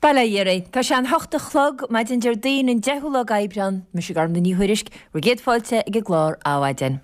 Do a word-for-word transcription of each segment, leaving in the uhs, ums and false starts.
Bail ó Dhia oraibh. Tá sé an hocht a chlog, maidin Déardaoin an deichiú lá d'Aibreán. Mise Gormfhlaith Ní Thuairisg, bhur gcéad fáilte ag an gclár Adhmhaidin.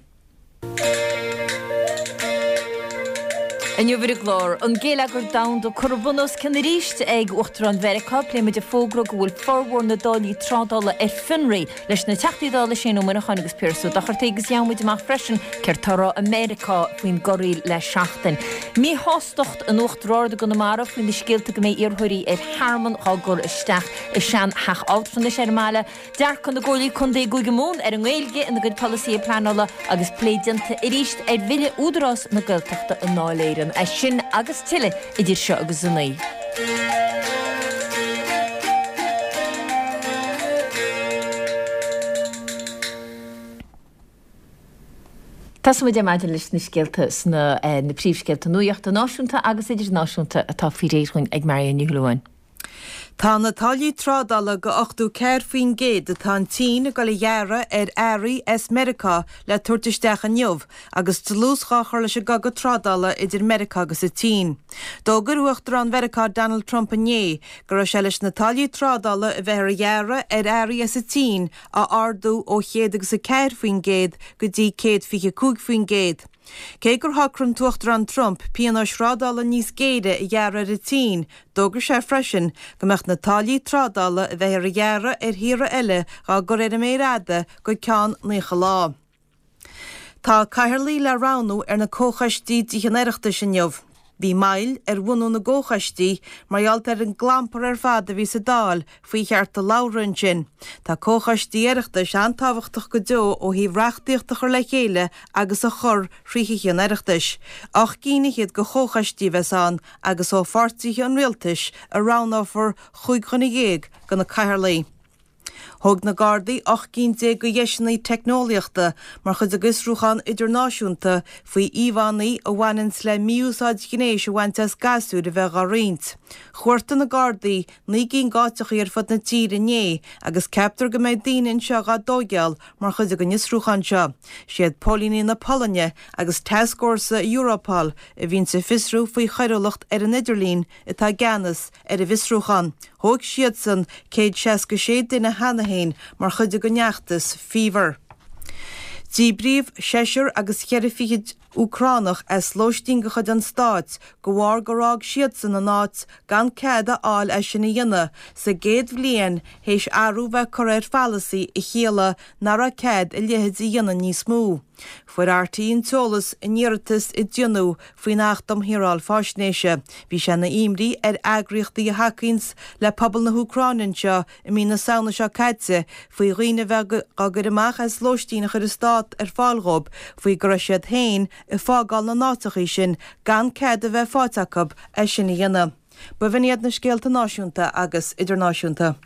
Inniu ar an gclár, an géilleagar domhanda curtha bun os cionn arís ag Uachtarán Mheiriceá, pléimid a fógra go bhfuil formhór na dtáillí trádála ar fionraí leis na Teachtaí Dála Shane Ó Muineacháin agus Piaras Ó Dochartaigh agus gheobhaimid amach freisin céard tá á rá i Meiriceá faoin gcorraíl le seachtain. Míshástacht in Uachtar Ard i gConamara faoi na scéalta go mbeidh iarrthóirí ar thearmann á gcur isteach i sean-theach altranais ar an mbaile. Dearcadh na gComhairlí Contae i gCúige Mumhan ar an nGaeilge ina gcuid polasaithe pleanála agus plé déanta arís ar bhille Údarás na Gaeltachta i nDáil Éireann. É sin agus tuilleadh idir seo agus a naoi. Tosóidh muid ar maidin leis na scéalta sna na príomhscéalta nuachta náisiúnta agus idirnáisiúnta atá faoi réir dhúinn ag Marion Ní Shúilleabháin. Tá na táillí trádála de ochtó ceathair faoin gcéad atá an tSín ag dul a ghearradh ar earraí as Meiriceá le tabhairt isteach inniu agus dlús dhá chur leis an gcogadh trádála idir Meiriceá agus an tSín. D'fhógair Uachtarán Mheiriceá Donald Trump inné go raibh sé leis na táillí trádála a bheifear a ghearradh ar earraí as an tSín a ardú ó chéad agus a ceathair faoin gcéad go dtí céad fiche cúig faoin gcéad. Cé gur shocraigh an tUachtarán Trump pionóis thrádála níos géire a ghearradh ar an tSín, d'fhógair sé freisin go mbeadh na táillí trádála a bheifear a ghearradh ar thíortha eile dhá gcur ar an méar fhada go ceann naocha lá. Tá cathaoirligh le roghnú ar na comhchoistí de Thithe an Oireachtais inniu. Bhí moill ar bhunú na gcomhchoistí mar gheall ar an gclampar ar fad a bhí sa Dáil faoi chearta labhartha ansin. Tá comhchoistí Oireachtais an-tábhachtach go deo ó thaobh reachtaíocht a chur le chéile agus a chur thrí Thithe an Oireachtais. Ocht gcinn fhichead de chomhchoistí a bheas ann agus ó pháirtithe an rialtais a roghnófar chúig dhuine dhéag de na cathaoirligh. Thóg na Gardaí ocht gcinn déag de dheiseanna teicneolaíochta mar chuid de bhfiosrúchán idirnáisiúnta faoi íomhánna a bhaineanns le mí-úsáid ghnéis a bhaint as gasúir a bheith dhá roinnt. Chuartaigh na Gardaí naoi gcinn d'áiteachaí ar fud na tíre inné agus ceaptar go mbeidh daoine anseo dhá dtóigeáil mar chuid den fhiosrúchán seo. Siad póilíní na Polainne agus tascfhórsa Europol a bhíonns ag fiosrú faoi choiriúlacht ar an idirlíon atá i gceannas ar an bhfiosrúchán. Thóg siadsan céad seasca sé duine cheana féin mar chuid den fheachtas Fever. Díbríodh seisear agus cheithre fichid Úcránach as lóistín de chuid an stáit de bharr gur fhág siadsan an áit gan cead a fháil é sin a dhéanamh sa gcéad bhliain théis athrú bheith curtha ar pholasaí a chiallaigh nach raibh cead a leithéid a dhéanamh níos mó. Fuair RTÉ an t-eolas in iarratas a déanadh faoin Acht um Shaoráil Faisnéise. Bhí sé ina imní ar eagraíochtaí a thacaíonns le pobal na hÚcráine anseo i mí na Samhna seo caite faoi dhaoine a bheith á gcur amach as lóistín a chuir an stát ar fáil dhóibh faoi go raibh siad féin ag fágáil na n-áiteachaí sin gan cead a bheith faighte acu é sin a dhéanamh. B'in iad na scéalta náisiúnta agus idirnáisiúnta.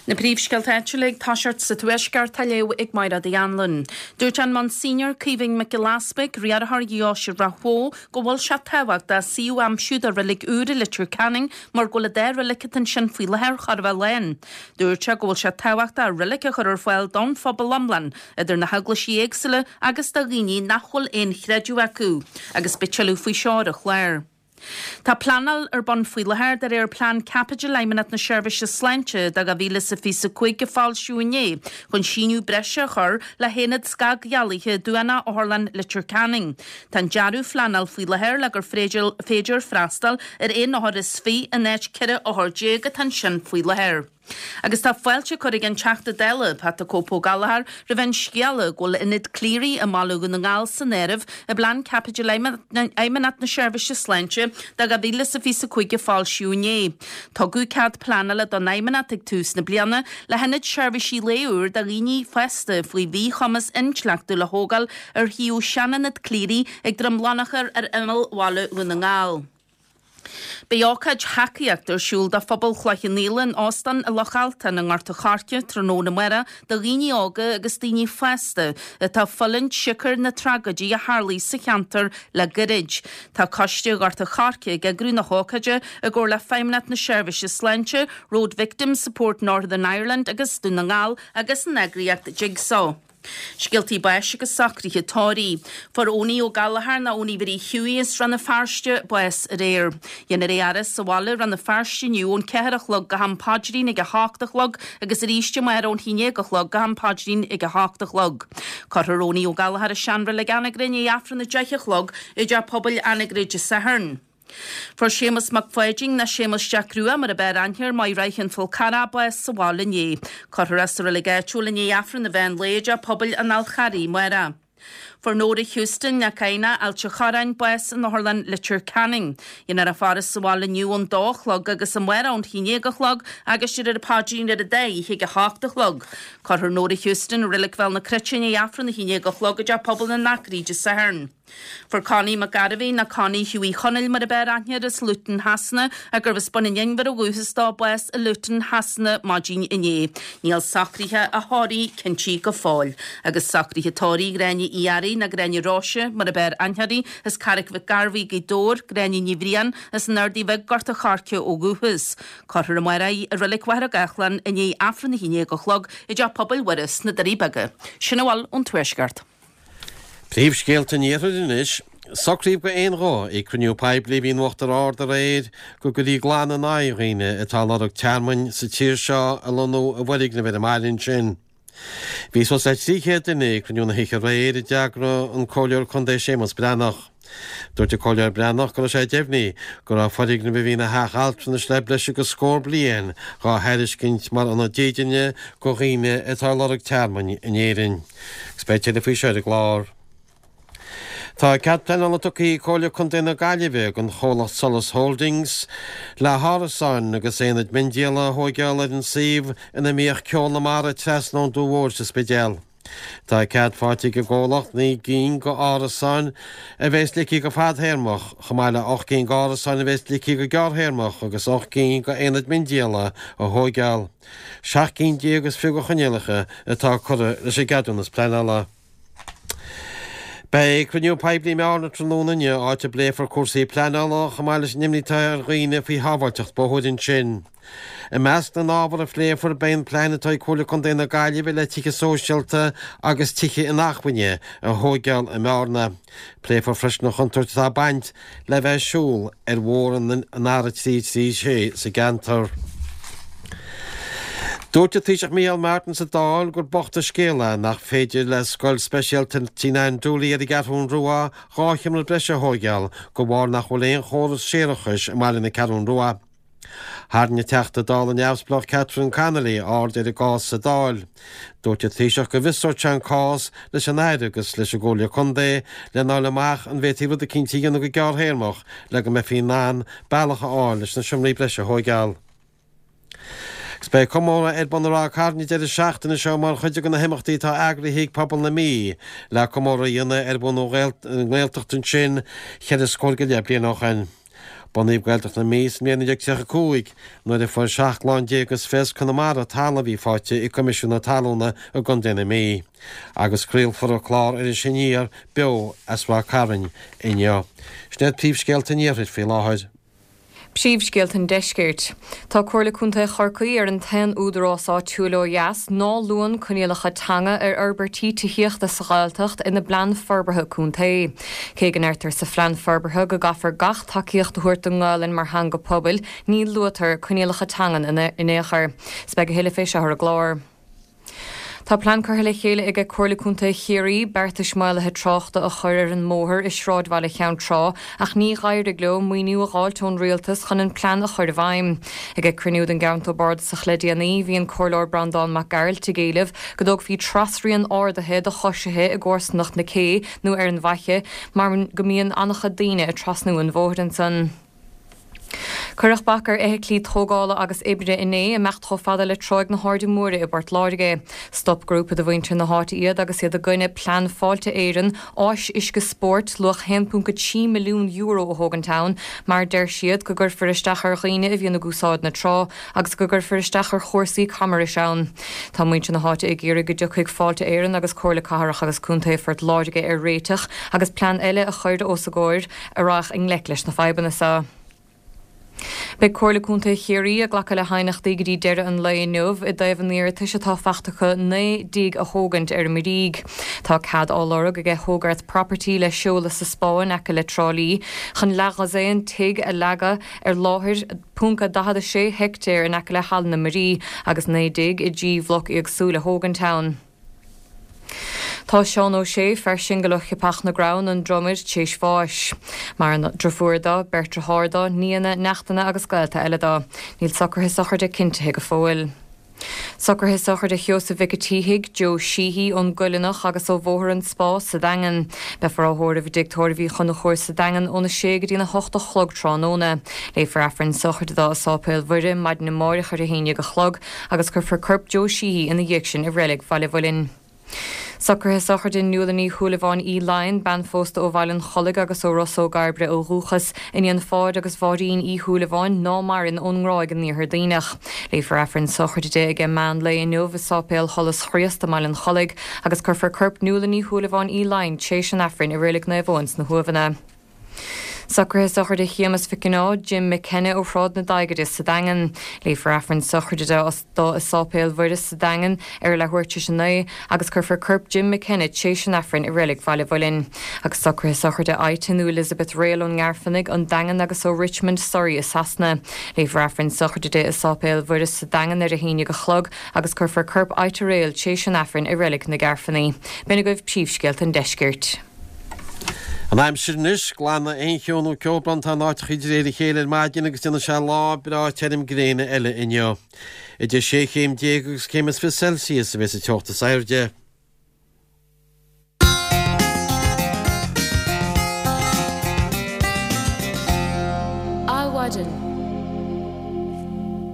Na príomhscéalta áitiúla ag toiseacht sa Tuaisceart á léamh ag Máire Uí Anluain. Dúirt an Monsignor Caoimhín Mac Giolla Easpaig, riarthóir Dheoise Ráth Bhoth, go bhfuil sé tábhachtach suíomh a aimsiú do reilig úr i Leitir Ceanainn mar go bhfuil an dá reilig atá ansin faoi láthair chóir a bheith lán. Dúirt sé go bhfuil sé tábhachtach reilig a chur ar fáil don phobal iomlán, idir na heaglaisí éagsúla agus do dhaoine nach bhfuil aon chreideamh acu, agus beidh tuilleadh faoi seo ar an chlár. Tá pleanáil ar bun faoi láthair de réir Plean Caipitil Fheidhmeannacht na Seirbhíse Sláinte do dhá mhíle is a fiche a cúig a foilsíodh inné chun síneadh breise a chur le haonad scagdhealaithe Duanach Otharlann Leitir Ceanainn. Tá an dearadh phleanáil faoi láthair le gur féidir freastal ar aon othar is fiche in áit ceithre othar déag atá ansin faoi láthair. Agus tá fáilte curtha ag an Teachta Dála, Pat the Cope Ó Gallchóir, roimh an scéala go bhfuil Ionad Cleary i mBaile Dhún na nGall san áireamh i bPlean Caipitil Fheidhmeannacht na Seirbhíse Sláinte do dhá mhíle is a fiche a cúig a foilsíodh inné. Tugadh cead pleanála don Fheidhmeannacht ag tús na bliana le hionad seirbhísí lae úr do dhaoine fásta faoi mhíchumas intleachtúil a thógáil ar shuíomh sean-Ionad Cleary ag Droim Lonchair ar imeall Bhaile Dhún na nGall. Beidh ócáid thacaíochta ar siúl do phobal Chloich Cheann Fhaola in Óstán i Loch Altan i nGort a' Choirce tráthnóna amárach do dhaoine óga agus daoine fásta atá ag fulaingt siocair na tragóidí a tharlaigh sa cheantar le gairid. Tá Coiste Ghort a' Choirce ag eagrú na hócáide i gcomhar le Feidhmeannacht na Seirbhíse Sláinte, Road Victims Support Northern Ireland agus Dún na nGall agus an eagraíocht Jigsaw. Scéaltaí báis agus socruithe tórraimh. Fuair Owenie Ó Gallchóir nó Owenie Mhary Hughie as Rann na Feirste bás aréir. Dhéanfar é a fhaire sa bhaile Rann na Feirste inniu ón ceathair a chlog go ham paidrín ag a hocht a chlog agus arís amárach ón haon déag a chlog go ham paidrín ag a hocht a chlog. Cuirfear Owenie Ó Gallchóir i seanreilig Anagaire i ndiaidh Aifreann a deich a chlog i dTeach Pobail Anagaire Dé Sathairn. Fuair Séamus Mac Pháidín nó Séamus Jack Rua mar ab fhearr aithne air Maigh Raith an Fhál Carrach bás sa bhaile inné. Cuirfear é sa reilig áitiúil i ndiaidh Aifreann an mheán lae i dTeach Pobail an Fhál Charraigh amárach. Fuair Nóra Houston née Cadhna, Ailt an Chorráin, bás in Otharlann Leitir Ceanainn. Dhéanfar a faire sa bhaile inniu ón dó a chlog agus amárach ón haon déag a chlog agus de réir paidrín ar an dá oíche ag a hocht a chlog. Cuirfear Nóra Houston i Reilig Bhéal na Cruite i ndiaidh Aifreann a haon déag a chlog i dTeach Pobail na nAcraí Dé Sathairn. Fuair Connie Mac Gairbhí nó Connie Hughie Chonaill mar ab fhearr aithne air as Luton Shasana gurbh as Bun an Inbhir ó dhúchas dó bás i Luton Shasana maidin inné. Níl socruithe a thórraimh cinntithe go fóill. Agus socruithe tórraimh Gráinne Uí Fhearraigh nó Gráinne Róise mar ab fhearr aithne uirthi as Carraig Mhic Gairbhí Gaoth Dobhair, Gráinne Ní Bhriain as an Ardaidh Bhig Gort an Choirce ó dhúchas. Cuirfear amárach í i Reilig Mhachaire Gathlán i ndiaidh Aifreann a haon déag a chlog i dTeach Pobail Mhuire sna Doirí Beaga. Sin a bhfuil ón Tuaisceart. Príomhscéalta an Iarthair anois. Socraíodh d'aon ghuth ag cruinniú poiblí a bhí in Uachtar Ard aréir go gcuirfí glan in aghaidh dhaoine atá ag lorg tearmainn sa tír seo a lonnú i bhfoirgnimh ar an mbaile ansin. Bhí suas le trí chéad duine ag cruinniú na hoíche aréir a d'eagraigh an Comhairleoir Contae Séamus Breathnach. Dúirt an Comhairleoir Breathnach go raibh sé deimhnithe go raibh foirgneamh a bhí ina theach altranais le breis agus scór bliain dhá thairiscint mar ionad dídine do dhaoine atá ag lorg tearmainn in Éirinn. Agus beidh tuilleadh faoi seo ar an gclár. Tá cead pleanála tugtha ag Comhairle Contae na Gaillimhe don chomhlacht Solas Holdings le hárasáin agus aonaid miondíola a thóigeáil ar an suíomh ina mbíodh Ceol na Mara trasna ón Dumha Mhóir sa Spidéal. Tá cead faighte ag an gcomhlacht naoi gcinn d'árasáin a bheas ligthe go fadthéarmach, chomh maith le ocht gcinn d'árasáin a bheas ligthe go gearrthéarmach agus ocht gcinn d'aonaid miondíola a thóigeáil. Seacht gcinn déag is fiche de choinníollacha atá curtha leis an gceadúnas pleanála. Beidh cruinniú poiblí i mBearna tráthnóna inniu, áit a bpléifear cúrsaí pleanála chomh maith leis an imní atá ar dhaoine faoi shábháilteacht bóthair ansin. I measc na n-ábhar a phléifear beidh an plean atá ag Comhairle Contae na Gaillimhe le tithe sóisialta agus tithe inacmhainne a thóigeáil i mBearna. Pléifear freisin an chontúirt atá ag baint le bheith ag siúl ar bhóthar an R trí trí sé sa gceantar. Dúirt an Taoiseach Micheál Martin sa Dáil gur bocht an scéal é nach féidir le scoil speisialta Tina Ann Dooley ar an gCeathrú Rua dhá sheomra breise a thóigeáil de bharr nach bhfuil aon chóras séarachais i mbaile na Ceathrún Rua. Tharraing an Teachta Dála neamhspleách Catherine Connolly aird ar an gcás sa Dáil. Dúirt an Taoiseach go bhfiosródh sé an cás leis an Aire agus leis an gComhairle Contae lena fháil amach an bhféadfaí rud eicínt a dhéanamh go gearrthéarmach le go mbeifí in ann bealach a fháil leis na seomraí breise a thóigeáil. Agus beidh comóradh ar bun i Ráth Cairn an deireadh seachtaine seo mar chuid de na himeachtaí atá eagraithe ag pobal na Mí le comóradh a dhéanamh ar bhunú na nGaeltacht ansin cheithre scór go leith bliain ó shin. Bunaíodh Gaeltacht na Mí sa mbliain naoi déag tríocha a cúig nuair a fuair seacht gclann déag as Fios Conamara talamh a bhí faighte ag Coimisiún na Talúna i gContae na Mí. Agus craolfar an clár Iris Aniar beo as Ráth Cairn inniu. Sin iad príomhscéalta an iarthair faoi láthair. Príomhscéalta an Deiscirt. Tá Comhairle Contae Chorcaí ar an t-aon údarás áitiúil ó dheas ná luann coinníollacha teanga ar fhorbairtí tithíochta sa Ghaeltacht ina bplean forbartha contae. Cé go ndeirtear sa phlean forbartha go gcaithfear gach tacaíocht a thabhairt don nGaelainn mar theanga pobail, ní luaitear coinníollacha teangan in aon chor. Is beidh a thuilleadh fé seo ar an gclár. Tá plean curtha le chéile aige Comhairle Contae Chiarraí beartais maolaithe tráchta a chur ar an mbóthar i sráidbhaile Cheann Trá ach ní d'éirigh leo maoiniú a fháilt ón rialtas chun an plean a chur i bhfeidhm. Ag cruinniú den gCounty Board sa le déanaí bhí an Comhairleoir Breandán Mac Gearailt ag éileamh go dtógfaí trasrian ardaithe do choisithe i gcomharsanacht na cé nó ar an bhFaiche mar go mbíonn an-chuid daoine ag trasnú an bhóthair ansan. Cuireadh bac ar fheithiclí tógála agus oibre inné imeacht chomh fada le Tráigh na hAirde Móire i bPort Láirge. Stop grúpa de mhuintir na háite iad agus iad i gcoinne plean Fáilte Éireann áis uisce spóirt luach haon ponc a trí milliún euro a thógaint ann, mar deir siad go gcuirfear isteach ar dhaoine a bhíonn ag úsáid na trá agus go gcuirfear isteach ar chúrsaí camrais ann. Tá muintir na háite ag iarraidh go dtiocfaidh Fáilte Éireann agus Comhairle Cathrach agus Contae Phort Láirge ar réiteach agus plean eile a chur os a gcomhair a rachadh i ngleic leis na fadhbanna seo. Beidh Comhairle Contae Chiarraí ag glacadh le haighneachtaí go dtí deireadh an lae inniu i dtaobh an iarratais atá faighte acu naoi dtigh a thógaint ar an Mhuirígh. Tá cead á lorg aige Hogarth Property le seoladh sa Spá in aice le Trá Lí chun leathdhosaen tigh a leagadh ar láthair ponc a daichead a sé heictéar in aice le Halla na Muirí agus naoi dtigh i dtrí bhloc éagsúil a thógaint ann. Tá Seán Ó Sé, fear singil ó Chiapach na gCrann, an Dromaid, tréis bháis. Maireann driofúr dó, beirt dearthár dó, nianna, neachtanna agus gaolta eile dó. Níl socruithe sochraide cinntithe go fóill. Socruithe sochraide Sheosaimh Mhic a' tSíthigh, Joe Sheehy, ón gCoileanach agus ó Bhóthar an Spá sa Daingean. Beifear á thórramh i dTigh Tórraimh Uí Chonchúir sa Daingean óna sé go dtína hocht a chlog tráthnóna. Léifear Aifreann sochraide dó i Sáipéal Mhuire maidin amáireach ar a haon déag a chlog agus cuirfear corp Joe Sheehy ina dhiaidh sin i Reilig Bhaile Mhuilinn. Socruithe sochraide Nuala Ní Shúilleabháin Uí Laighin, bean phósta ó Bhaile an Chollaigh agus ó Ros Ó gCairbre ó dhúchas, iníon Pháid agus Mháirín Uí Shúilleabháin, ná maireann, ón nGráig in Iarthar Duibhneach. Léifear Aifreann sochraide di ag meán lae inniu i Sáipéal Sholas Chríost i mBaile an Chollaigh agus cuirfear corp Nuala Ní Shúilleabháin Uí Laighin tréis an Aifrinn i Reilig Naomh Eoin sna hUaimheanna. Socruithe sochraide Shéamus Mhic Cionnaith, Jim McKenna ó Shráid na Daighide sa Daingean. Léifear Aifreann sochraide dó i Sáipéal Mhuire sa Daingean ar a leathuair tar éis a naoi agus cuirfear corp Jim McKenna tréis an Aifrinn i Reilig Bhaile Mhuilinn. Agus socruithe sochraide Ita nó Elizabeth Rail ón nGairfeanaigh, an Daingean agus ó Richmond, Surrey i Sasana. Léifear Aifreann sochraide di i Sáipéal Mhuire sa Daingean ar a haon déag a chlog agus cuirfear corp Ita Rail tréis an Aifrinn i Reilig na Gairfeanaí. B'in agaibh príomhscéalta an deiscirt. An aimsir anois, glanfaidh aon cheo nó ceobhrán in áiteachaí de réir a chéile ar maidin agus déanfaidh sé lá breá tirim gréine eile inniu. Idir sé chéim déag agus céim is fiche Celsius a bheas an teocht is airde. Adhmhaidin.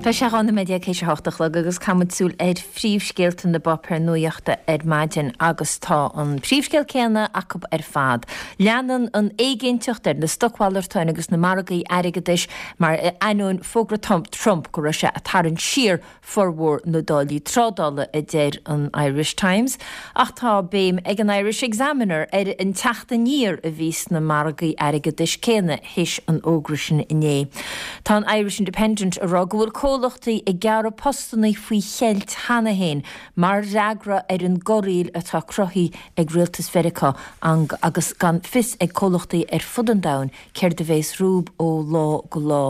Tá sé dhá nóiméad déag théis a hocht a chlog agus caithfidh muid súil ar phríomhscéalta na bpáipéar nuachta ar maidin agus tá an príomhscéal céanna acu ar fad. Leanann an éiginnteacht ar na stocmhalartáin agus na margaí airgeadais mar ainneoin fógra Trump go raibh sé ag tarraingt siar formhór na dtáillí trádála, a deir an Irish Times. Ach tá béim ag an Irish Examiner ar an teacht aniar a bhí sna margaí airgeadais céanna théis an fhógra sin inné. Tá an Irish Independent ag rá go bhfuil comhlachtaí ag gearradh postanna faoi cheilt cheana féin mar fhreagra ar an gcorraíl atá cruthaithe ag rialtas Mheiriceá agus gan fios ag comhlachtaí ar fud an domhain céard a bheas rompu ó lá go lá.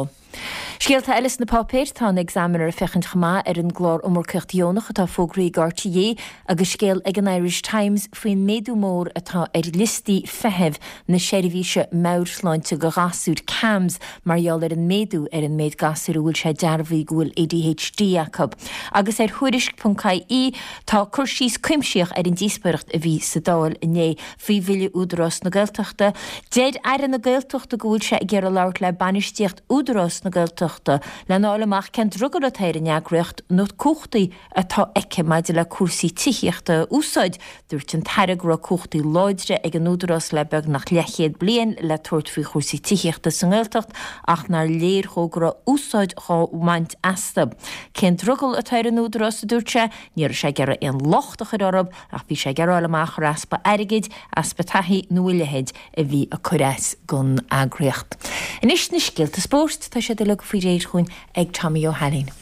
Scéalta eile sna páipéir, tá an Examiner ag féachaint chomh maith ar an gclár iomarcaíocht dheonach atá fógraithe ag RTÉ agus scéal ag an Irish Times faoin méadú mór atá ar liostaí feithimh na seirbhíse meabhairshláinte do ghasúir, CAMHS, mar gheall ar an méadú ar an méid gasúr a bhfuil sé dearbhaithe go bhfuil ADHD acu. Agus ar Thuairisc ponc IE tá cur síos cuimsitheach ar an díospóireacht a bhí sa Dáil inné faoi bhille Údarás na Gaeltachta. Deir Aire na Gaeltachta go bhfuil sé ag iarraidh labhairt le bainistíocht Údarás na Gaeltachta lena fháil amach cén drogall atá ar an eagraíocht na cumhachtaí atá aici maidir le cúrsaí tithíochta a úsáid. Dúirt an tAire go raibh cumhachtaí láidre ag an Údarás le beagnach leathchéad bliain le tabhairt faoi chúrsaí tithíochta sa nGaeltacht ach nár léir dhó go raibh úsáid dhá bhaint astu. Cén drogall atá ar an Údarás, a dúirt sé, ní raibh sé ag iarraidh aon locht a chur orthu ach bhí sé ag iarraidh a fháil amach ar easpa airgid, easpa taithí nó a leithéid a bhí ag cur as don eagraíocht. Anois na scéalta spóirt, tá siad uilig faoi réir chugainn ag Tommy Ó hAilín.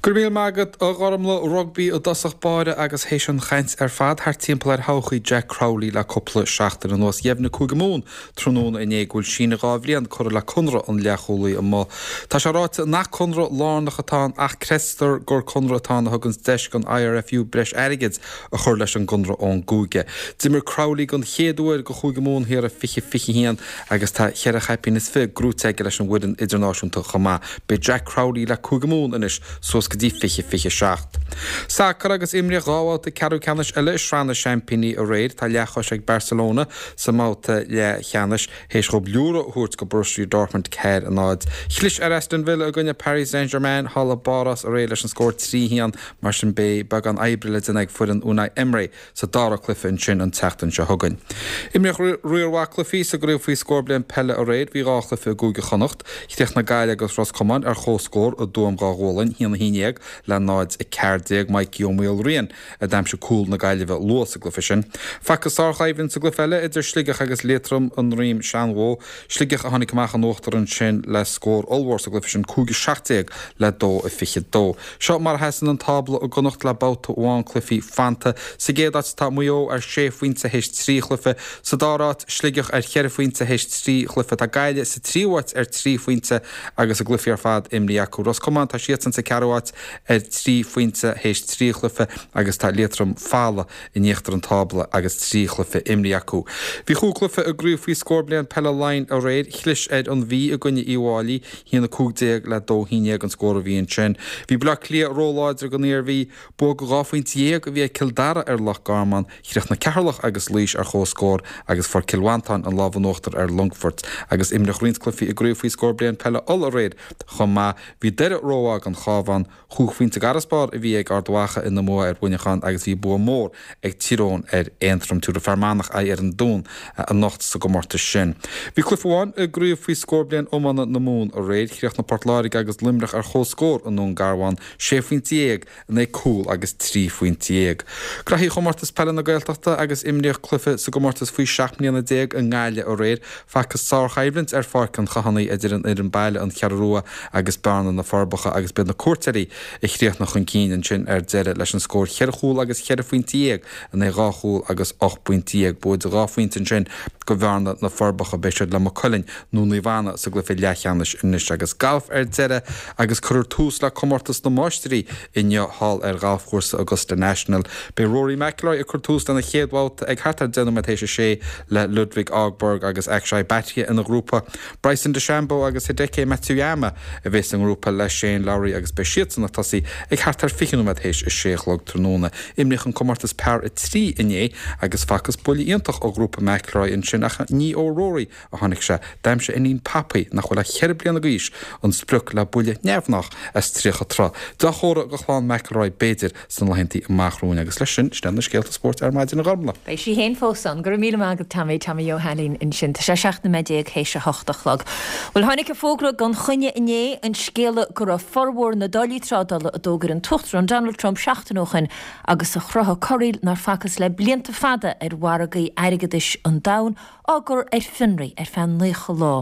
Go raibh míle maith agat, a Ghormlaith. Rugbaí i dtosach báire agus théis an chaint ar fad thart timpeall ar thodhchaí Jack Crowley le cúpla seachtain anuas, dheimhnigh Cúige Mumhan tráthnóna inné go bhfuil síneadh dhá bhliain curtha le conradh an leathchúlaí amuigh. Tá sé ráite nach conradh lárnach atá ann ach creidtear gur conradh atá ann a thugann deis don IRFU breis airgid a chur leis an gconradh ón gcúige. D'imir Crowley den chéad uair do Chúige Mumhan thiar i fiche fiche haon agus tá cheithre chaipín is fiche gnóite aige leis an bhfoireann idirnáisiúnta chomh maith. Beidh Jack Crowley le Cúige Mumhan anois suas go dtí fiche fiche seacht. Sacar agus imríodh dhá bhabhta ceathrú ceannais eile i Sraith na Seaimpíní aréir. Tá leathchois ag Barcelona sa mbabhta leathcheannais théis dhóibh liúradh a thabhairt go Borussia Dortmund ceathair a náid. Chlis ar Aston Villa i gcoinne Paris Saint-Germain thall i bPáras aréir leis an scór trí haon. Mar sin beidh beagán oibre le déanamh ag foireann Unai Emery sa dara cluiche ansin an tseachtain seo chugainn. Imríodh riar mhaith cluichí sa gcraobh faoi scór bliain peile aréir. Bhí dhá chluiche i gCúige Chonnacht. Chríochnaigh Gaillimh agus Ros Comáin ar comhscór i dTuaim Dhá Ghualainn, haon a haon déag. déag le náid a ceathair déag. Mikey Ó Maoilriain a d'aimsigh cúl na Gaillimhe luath sa gcluiche sin. Facthas sárchoimhlint sa gcluiche eile idir Sligeach agus Liatroim i nDroim Seanbhó. Sligeach a tháinig amach in uachtar ansin le scór ollmhór sa gcluiche sin, cúig a seacht déag le dó a fiche dó. Seo mar a sheasann an tábla i gConnacht le babhta amháin cluichí fanta. Sa gcéad áit tá Maigh Eo ar sé phointe théis trí chluiche. Sa dara háit, Sligeach ar cheithre phointe théis trí chluiche. Tá Gaillimh sa tríú háit ar trí phointe agus a gcluichí ar fad imrithe acu. Ros Comáin, tá siadsan sa ceathrú háit ar trí phointe théis trí chluiche agus tá Liatroim folamh in íochtar an tábla agus trí chluiche imrithe acu. Bhí chúig chluiche i gcraobh faoi scór bliain peile Laighean aréir. Chlis ar an Mhí i gcoinne Uíbh Fhailí, haon a cúig déag le dó haon déag an scór a bhí ansin. Bhí Baile Átha Cliath róláidir don Iarmhí. Bua de dhá phointe dhéag a bhí ag Cill Dara ar Loch Garman. Chríochnaigh Ceatharlach agus Laois ar comhscór agus fuair Cill Mhantáin an lámh in uachtar ar Longfort. Agus imríodh roinnt cluichí i gcraobh faoi scór bliain peile Uladh aréir chomh maith. Bhí Doire rómhaith don Chabhán. Chúig phointe d'fharasbarr a bhí ag Ard Mhacha ina mbua ar Mhuineachán agus bhí bua mór ag Tír Eoghain ar Aontroim. Tabharfaidh Fear Manach aghaidh ar an Dún anocht sa gcomórtas sin. Bhí cluiche amháin i gcraobh faoi scór bliain iomána na Mumhan aréir. Chríochnaigh Port Láirge agus Luimneach ar comhscór i nDún Garbhán, sé phointe dhéag in aghaidh cúl agus trí phointe dhéag. Graithí Chomórtas Peile na Gaeltachta agus imríodh cluiche sa gcomórtas faoi seacht mbliana déag i nGaillimh aréir. Facthas sárchoimhlint ar Pháirc an Chathánaigh idir an fhoireann baile, An Cheathrú Rua agus Bearna na Forbacha agus b'iad na cuairteoirí a chríochnaigh chun cinn ansin ar deireadh leis an scór cheithre chúl agus cheithre phointe dhéag in aghaidh dhá chúl agus ocht bpointe dhéag. Bua de dhá phointe ansin do Bhearna na Forbacha. Beidh siad le Maigh Cuilinn nó Naomh Anna sa gcluiche leathcheannais anois agus galf ar deireadh agus cuirfear tús le Comórtas na Máistirí inniu thall ar ghalfchúrsa Augusta National. Beidh Rory McIlroy ag cur tús lena chéad bhabhta ag thart ar deich nóiméad théis a sé le Ludvig Åberg agus Akshay Bhatia ina ghrúpa. Bryson DeChambeau agus Hideki Matsuyama a bheas sa ngrúpa le Shane Lowry agus beidh siadsan ag tosaí ag thart ar fiche nóiméad théis a sé a chlog tráthnóna. Imríodh an comórtas par a trí inné agus facthas buille iontach ó ghrúpa McIlroy ansin ach ní ó Rory a tháinig sé. D'aimsigh a iníon Poppy, nach bhfuil ach ceithre bliana d'aois, an sprioc le buille neamhghnách as tríocha troigh. Dea-thoradh do chlann McIlroy b'fhéidir sna laethanta amach romhainn agus leis sin, sin iad na scéalta spóirt ar maidin a Ghormlaith. Beidh sí féin fós ann. Go raibh míle maith agat Tommy, Tommy Joe Hailín ansin. Tá sé seacht nóiméad déag théis a hocht a chlog. Bhuel tháinig an fógra gan choinne inné, an scéala go raibh formhór na dtáillí trádála a d'fhógair an tUachtarán Donald Trump seachtain ó shin agus a chruthaigh corraíl nár facthas le blianta fada ar mhargaí airgeadais an domhain, á gcur ar fionraí ar feadh naocha lá.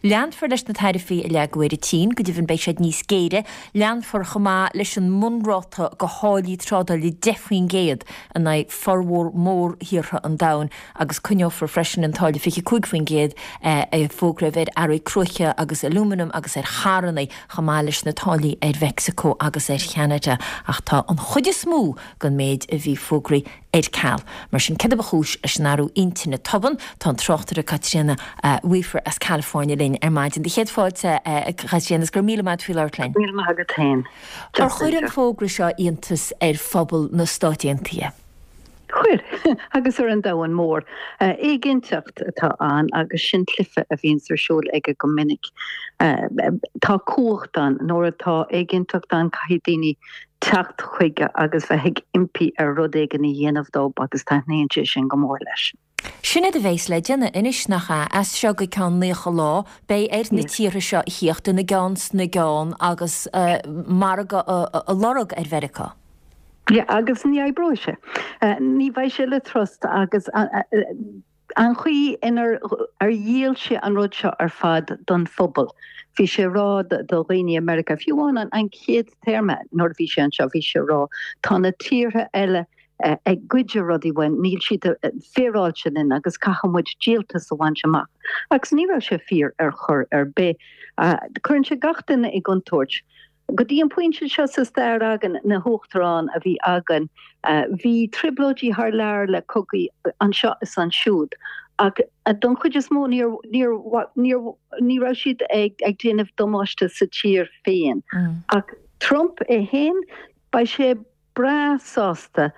Leanfar leis na taraifí a leagadh ar an tSín, go deimhin beidh siad níos géire. Leanfar chomh maith leis an mbunráta de tháillí trádála deich faoin gcéad in aghaidh formhór mór thíortha an domhain agus coinneofar freisin an táille fiche cúig faoin gcéad a fógraíodh ar earraí cruaiche agus alúmanaim agus ar charranna chomh maith leis na táillí ar Mheicsiceo agus ar Cheanada. Ach tá an chuid is mó den méid a bhí fógraithe ar ceal. Mar sin, céard a ba chúis leis an athrú intinne tobann? Tá an tráchtaire Caitríona Weaver as California linn ar maidin. Do chéad fáilte, a Chaitríona, is go raibh míle maith agat faoi labhairt linn. Míle maith agat féin. Ar chuir an fógra seo iontas ar phobal na Stát Aontaithe? Chuir, agus ar an domhan mór. Éiginnteacht atá ann agus sin cluiche a bhíonns ar siúl aige go minic. Tá cumhacht ann. Nuair atá éiginnteacht ann caithfidh daoine teacht chuige agus bheith ag impí air rud éigin a dhéanamh dóibh agus taitníonn sé sin go mór leis. Sin é a bheas le déanamh anois, nach ea? As seo go ceann naocha lá, beidh ar na tíortha seo a thíocht ina gceann sna gceann agus margadh a lorg ar Mheiriceá. Yeah, agus ní oibreoidh sé. Ní bheidh sé le trust agus an chaoi inar ar dhíol sé an rud seo ar fad don phobal. Bhí sé ag rá do dhaoine i Meiriceá, fiú amháin an chéad téarma nuair a bhí sé anseo, bhí sé ag rá tá na tíortha eile ag goid rudaí uainn, níl siad féaráilte linn agus caithfidh muid díoltas a bhaint amach. Agus ní raibh sé fíor ar chor ar bith. Cuireann sé gach duine i gcontúirt. Go dtí an pointe seo sa stair againn, na huachtaráin a bhí againn, bhí trioblóidí thar lear le cogaí anseo is ansiúd, ach don chuid is mó ní raibh siad ag déanamh damáiste sa tír féin. Ach Trump é féin, beidh sé breá sásta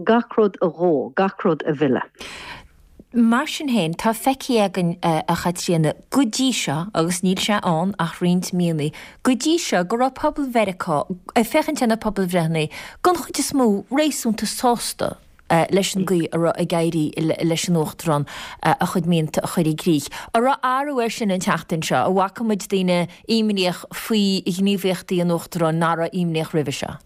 gach rud a dhó, gach rud a mhilleadh. Mar sin féin, tá feicthe againn, a Chaitríona, go dtí seo, agus níl sé ann ach roinnt míonna, go dtí seo, go raibh pobal Mheiriceá, ag féachaint ar na pobalbhreitheanna, den chuid is mó, réasúnta sásta leis an gcaoi a raibh ag éirí leis an Uachtarán a chuid mianta a chur i gcrích. An raibh athrú air sin an tseachtain seo? An bhfaca muid daoine imníoch faoi ghníomhaíochtaí an Uachtaráin nach raibh imníoch roimhe seo?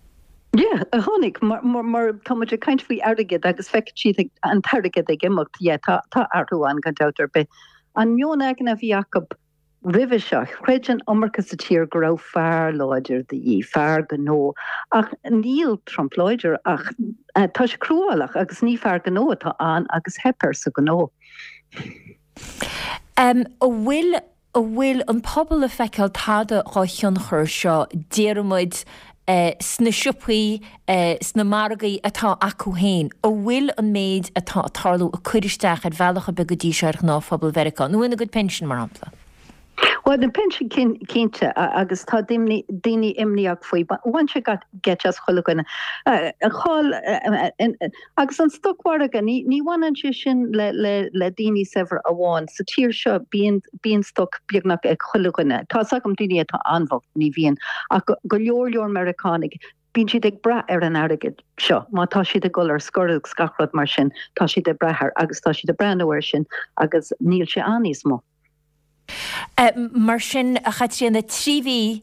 Yeah, a tháinig, mar, mar, mar tá muid ag caint faoi airgead agus feiceann siad an t-airgead ag imeacht, yeah, tá, tá athrú ann gan dabht ar bith. An meon aigne a bhí acu roimhe seo, chreid an iomarca sa tír go raibh fear láidir de dhíth, fear gnó, ach níl Trump láidir ach tá sé cruálach agus ní fear gnó atá ann agus theip air sa ghnó. Um, an bhfuil an bhfuil an pobal ag feiceáil tada dhá thionchar seo déarfaimid eh, sna siopaí eh, sna margaí atá acu féin, an bhfuil an méid atá ag tarlú ag cur isteach ar bhealach ar bith go dtí seo ar ghnáthphobal Mheiriceá, nó ina gcuid pinsean mar shampla. Well na pinsin cinnte agus tá daoine imníoch faoi, bhain sé geit as chuile dhuine. Cháil agus an stocmhargadh ní bhaineann sé sin le le daoine saibhir amháin. Sa tír seo bíonn bíonn stoc beagnach ag chuile dhuine. Tá agam daoine atá an-bhocht ní bhíonn ach go leor leor Meiriceánaigh bíonn siad ag brath ar an airgead seo. Má tá siad ag dul ar scor agus gach rud mar sin, tá siad ag brath air agus tá siad ag breathnú air sin agus níl sé ann níos mó. Mar sin a Chaitríona trí mhí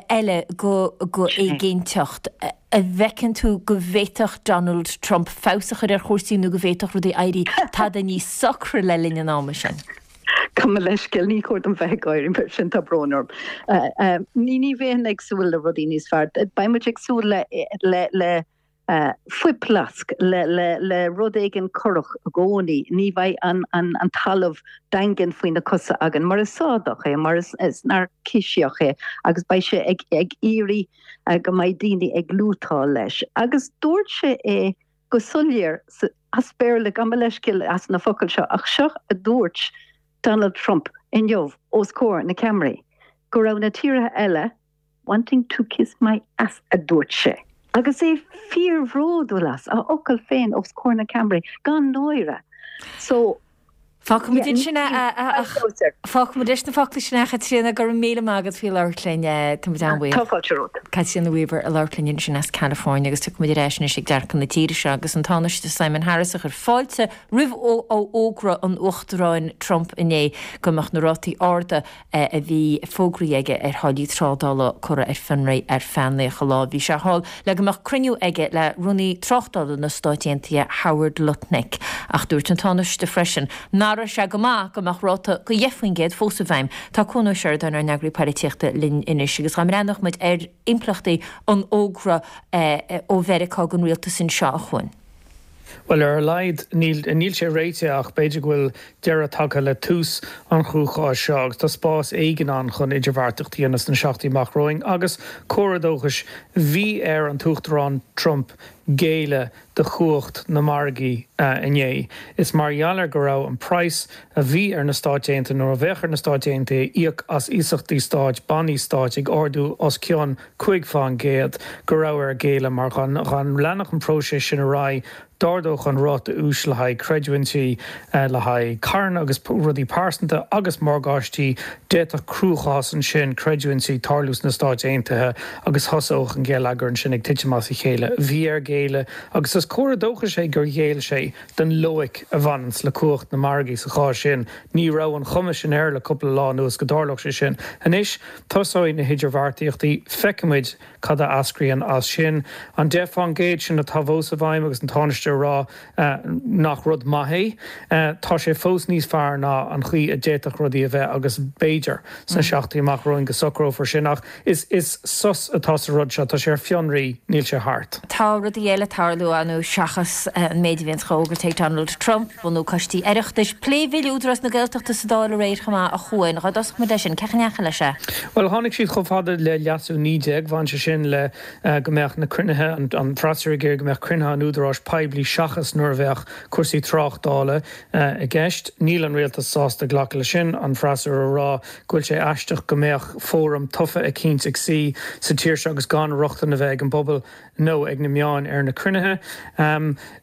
eile go go éiginnteacht. An bhfeiceann tú go bhféadfadh Donald Trump feabhas a chur ar chúrsaí nó go bhféadfadh rudaí éirí tada níos socra le linn an ama sin? Gabh mo leithscéal ní chóir dom bheith ag gáire mar sin tá brón orm. Ní ní bheinn ag súil le rudaí níos fearr. Beidh muid ag súil le le le fuiphleasc le le le rud éigin corrach i gcónaí, ní bheidh an an an talamh daingean faoi na cosa againn, mar is sádach é, mar is is naircisíoch é agus beidh sé ag ag iarraidh go mbeidh daoine ag lútáil leis. Agus dúirt sé é go soiléir as Béarla gabh mo leithscéal as na focail seo ach seo a dúirt Donald Trump inniu os comhair na ceamaraí, go raibh na tíortha eile wanting to kiss my ass a dúirt sé. Agus é fíorbhródúil as a fhocail féin os comhair na ceamaraí gan náire. So Fágfaimid ansin Fágfaimid leis na focla sin a Chaitríona go raibh míle maith agat faoi labhairt linn tá muid an-bhuíoch. Tá fáilte romhat. Caitríona Weaver ag labhairt linn ansin as California agus tiocfaimid ar ais anois ag dearcadh na tíre seo agus an Tánaiste Simon Harris a chuir fáilte roimh fhógra an Uachtaráin Trump inné go mbeadh na rátaí arda a bhí fógraithe aige ar tháillí trádála curtha ar fionraí ar feadh naocha lá. Bhí sé thall le go mbeadh cruinniú aige le Rúnaí Tráchtála na Stát Aontaithe Howard Lutnick ach dúirt an Tánaiste freisin nach raibh sé go maith go mbeadh ráta go deich faoin gcéad fós i bhfeidhm. Tá Cuan Ó Seireadáin ár n-eagraí polaitíochta linn anois agus dá mbreathnódh muid ar impleachtaí an fhógra ó Mheiriceá don rialtas anseo a Chuain. Bhuel ar a laghad níl níl sé réitithe ach b'fhéidir go bhfuil deireadh tagtha le tús an chruacháis seo agus tá spás éigin ann chun idirbheartaíocht a dhéanamh sna seachtainí amach romhainn agus comhartha dóchais bhí ar an tUachtarán Trump géilleadh do chumhacht na margaí inné. Is mar gheall ar go raibh an praghas a bhí ar na Stáit Aontaithe nó a bheadh ar na Stáit Aontaithe íoc as iasachtaí stáit, bannaí stáit ag ardú os cionn cúig faoin gcéad go raibh air géilleadh mar dá leanfadh an próiseas sin ar aghaidh d'ardódh an ráta úis le haghaidh creidiúintí le haghaidh carranna agus rudaí pearsanta agus morgáistí d'fhéadfadh cruachás ansin creidiúintí tarlú sna Stáit Aontaithe agus thosódh an geilleagar ansin ag titim as a chéile. Bhí air géilleadh agus is comhartha dóchais é gur ghéill sé don loighic a bhaineanns le cumhacht na margaí sa chás sin. Ní raibh an chuma sin air le cúpla lá anuas go dtarlódh sé sin. Anois, tosóidh na hidirbheartaíochtaí, feicfimid cad a eascraíonn as sin. An deich faoin gcéad sin atá fós i bhfeidhm agus an Tánaiste ag rá nach rud maith é, tá sé fós níos fearr ná an chaoi a d'fhéadfadh rudaí a bheith agus b'fhéidir sna seachtainí amach romhainn go socrófar sin. Ach is is sos atá sa rud seo, tá sé ar fionraí, níl sé thart. Tá rudaí eile ag tarlú ann seachas an méid a bhíonn á fhógairt ag Donald Trump, bunú coistí Oireachtais, plé bhille Údarás na Gaeltachta sa Dáil aréir chomh maith a Chuain. Dhá dtosódh muid leis sin, cén chaoi a ndeachaigh leis é? Bhuel, tháinig siad chomh fada le leasú naoi déag, bhain sé sin le go mbeadh na cruinnithe, an freasúra ag iarraidh go mbeadh cruinnithe an Údaráis poiblí seachas nuair a bheadh cúrsaí tráchtála i gceist. Níl an rialtas sásta glacadh leis sin, an freasúra ag rá go bhfuil sé aisteach go mbeadh fóram tofa eicínt ag suí sa tír seo agus gan rochtain a bheith ag an bpobal nó ag na meáin ar na cruinnithe.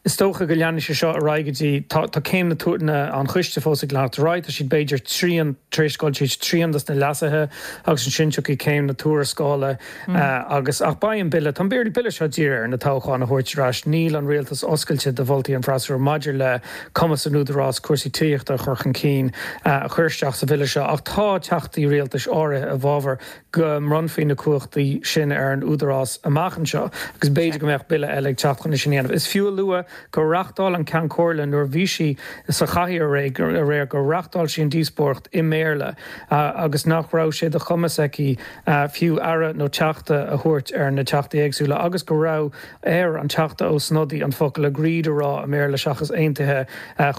Is dócha go leanfaidh sé seo ar aghaidh go dtí, tá tá céim na na an choiste fós ag leanacht ar aghaidh, tá siad b'fhéidir trian tar éis dul tríd trian dos na leasuithe agus ansin tiocfaidh céim na tuarascála agus ach beidh an bille, tá an bille seo dírithe ar na toghcháin a thabhairt ar ais, níl an rialtas oscailte do mholtaí an freasúra maidir le cumas an Údarás cúrsaí tithíochta a chur chun cinn a chur isteach sa bhille seo ach tá teachtaí rialtais áirithe i bhfabhar go mbronnfaí na cumhachtaí sin ar an Údarás amach anseo agus b'fhéidir go mbeadh mbeadh bille eile ag teacht chun é sin a dhéanamh. Is fiú a lua gur reáchtáil an Ceann Comhairle nuair a bhí sí sa chathaoir aréir gur reáchtáil sí an díospóireacht i mBéarla agus nach raibh sé de chumas aici fiú aire nó teachta a thabhairt ar na teachtaí éagsúla agus go raibh ar an Teachta Ó Snodaigh an focal agreed a rá i mBéarla seachas aontaithe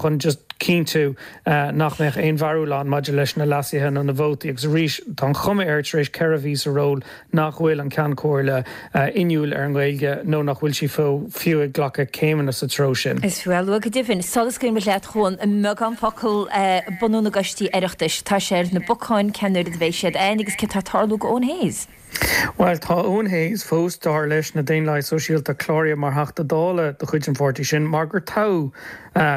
chun just cinntiú nach mbeadh aon bharúil ann maidir leis na leasuithe nó na vótaí agus arís tá an chuma air tar éis ceithre mhí sa ról nach bhfuil an Ceann Comhairle inniúil ar an nGaeilge nó nach bhfuil sí fiú ag glacadh céimeanna sa treo sin. Is fiú a lua go deimhin. Sula scaoileann muid leat a Chuain, i mbeagán focal bunú na gcoistí Oireachtais, tá sé ar na bacáin cén uair a bheidh siad ann agus céard atá ag tarlú go Eoin Hayes? Bhuel, tá Eoin Hayes fós, dar leis na Daonlathaigh Sóisialta, cláraithe mar Theachta Dála de chuid an pháirtí sin, mar gur toghadh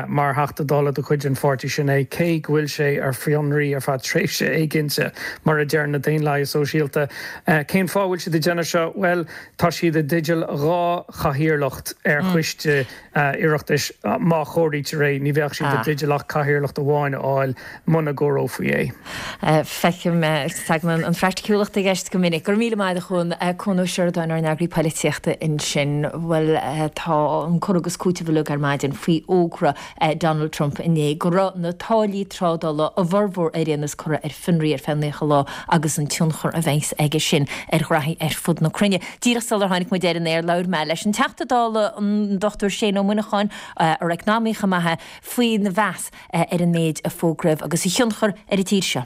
mar Theachta Dála de chuid an pháirtí sin é, cé go bhfuil sé ar fionraí ar feadh tréimhse éiginnte, mar a deir na Daonlathaigh Sóisialta. Cén fáth a bhfuil siad ag déanamh seo? Bhuel, tá siad i dteideal dhá chathaoirleacht ar choiste Oireachtais. Má chomhairítear é, ní bheadh siad i dteideal ach cathaoirleacht amháin a fháil muna gcomhaireofaí é. Feicim, tagann an phraiticiúlacht i gceist go minic. Go raibh míle maith agat a Chuain, Cuan Ó Seireadáin, ár n-eagraí poilitíochta ansin. Bhuel, tá an cur agus cúiteamh uilig ar maidin faoi fhógra Donald Trump inné go raibh na táillí trádála, a bhformhór ar aon nós, curtha ar fionraí ar feadh naocha lá agus an tionchar a bheas aige sin ar ghraithí ar fud na cruinne. Díreach sular tháinig muid ar an aer labhair mé leis an Teachta Dála an Dochtúir Shane Ó Muineacháin, ar eacnamaí chomh maith é, faoina mheas ar an méid a fógraíodh agus a thionchar ar an tír seo.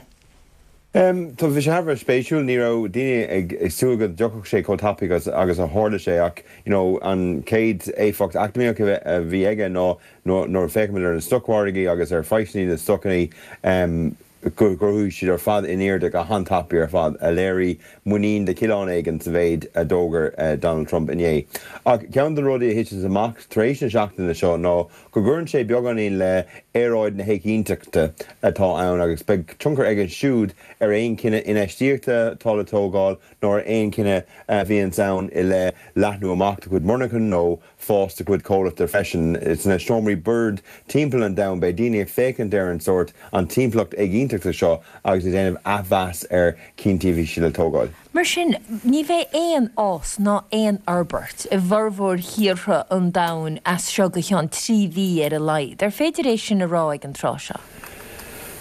Tá bhí sé thar a bheith spéisiúil, ní raibh daoine ag súil go dtiocfadh sé chomh tapaidh agus a tharla sé ach you know an chéad éifeacht eacnamaíoch a bhí aige ná nuair a féachaimid ar na stocmhargaí agus ar phraghsanna na stocanna gur chuaigh siad ar fad in airde go han-tapaidh ar fad, a léirigh muinín de chineál éigin sa mhéid a d'fhógair Donald Trump inné. Ach ceann de na rudaí a thiteanns amach tar éis na seachtaine seo ná go gcuireann sé beagáinín le aeráid na héiginnteachta atá ann agus beidh tionchar aige siúd ar aon chinneadh infheistíochta atá le tógáil nó ar aon chinneadh a bhíonns ann i leith leathnú amach do chuid monarchan nó fás do chuid comhlachta freisin. Sna seomraí boird timpeall an domhain beidh daoine ag féachaint ar an sórt, an timpeallacht éiginnteachta seo agus ag déanamh athmheas ar chinntí a bhí siad le tógáil. Mar sin, ní bheidh aon fhás ná aon fhorbairt i bhformhór thíortha an domhain as seo go ceann trí mhí ar a laghad. Ar féidir é sin a rá ag an tráth seo?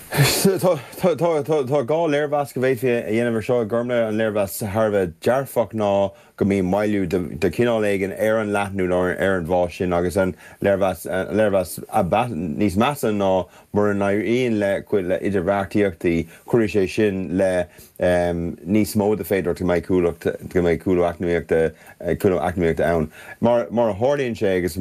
Tá dhá léirmheas go bhféadfaí a dhéanamh ar seo, a Ghormfhlaith. An léirmheas thar a bheith dearfach ná go mbíonn moilliú de chineál éigin ar an leathnú nó ar an bhfás sin agus an léirmheas níos measa ná mura n-éiríonn le cuid le idirbheartaíochtaí, cuirfidh sé sin le níos mó de féidearthacht go mbeidh cúlacht, go mbeidh cúlú eacnamaíochta, cúlú eacnamaíochta ann. Mar, mar a tharlaíonn sé agus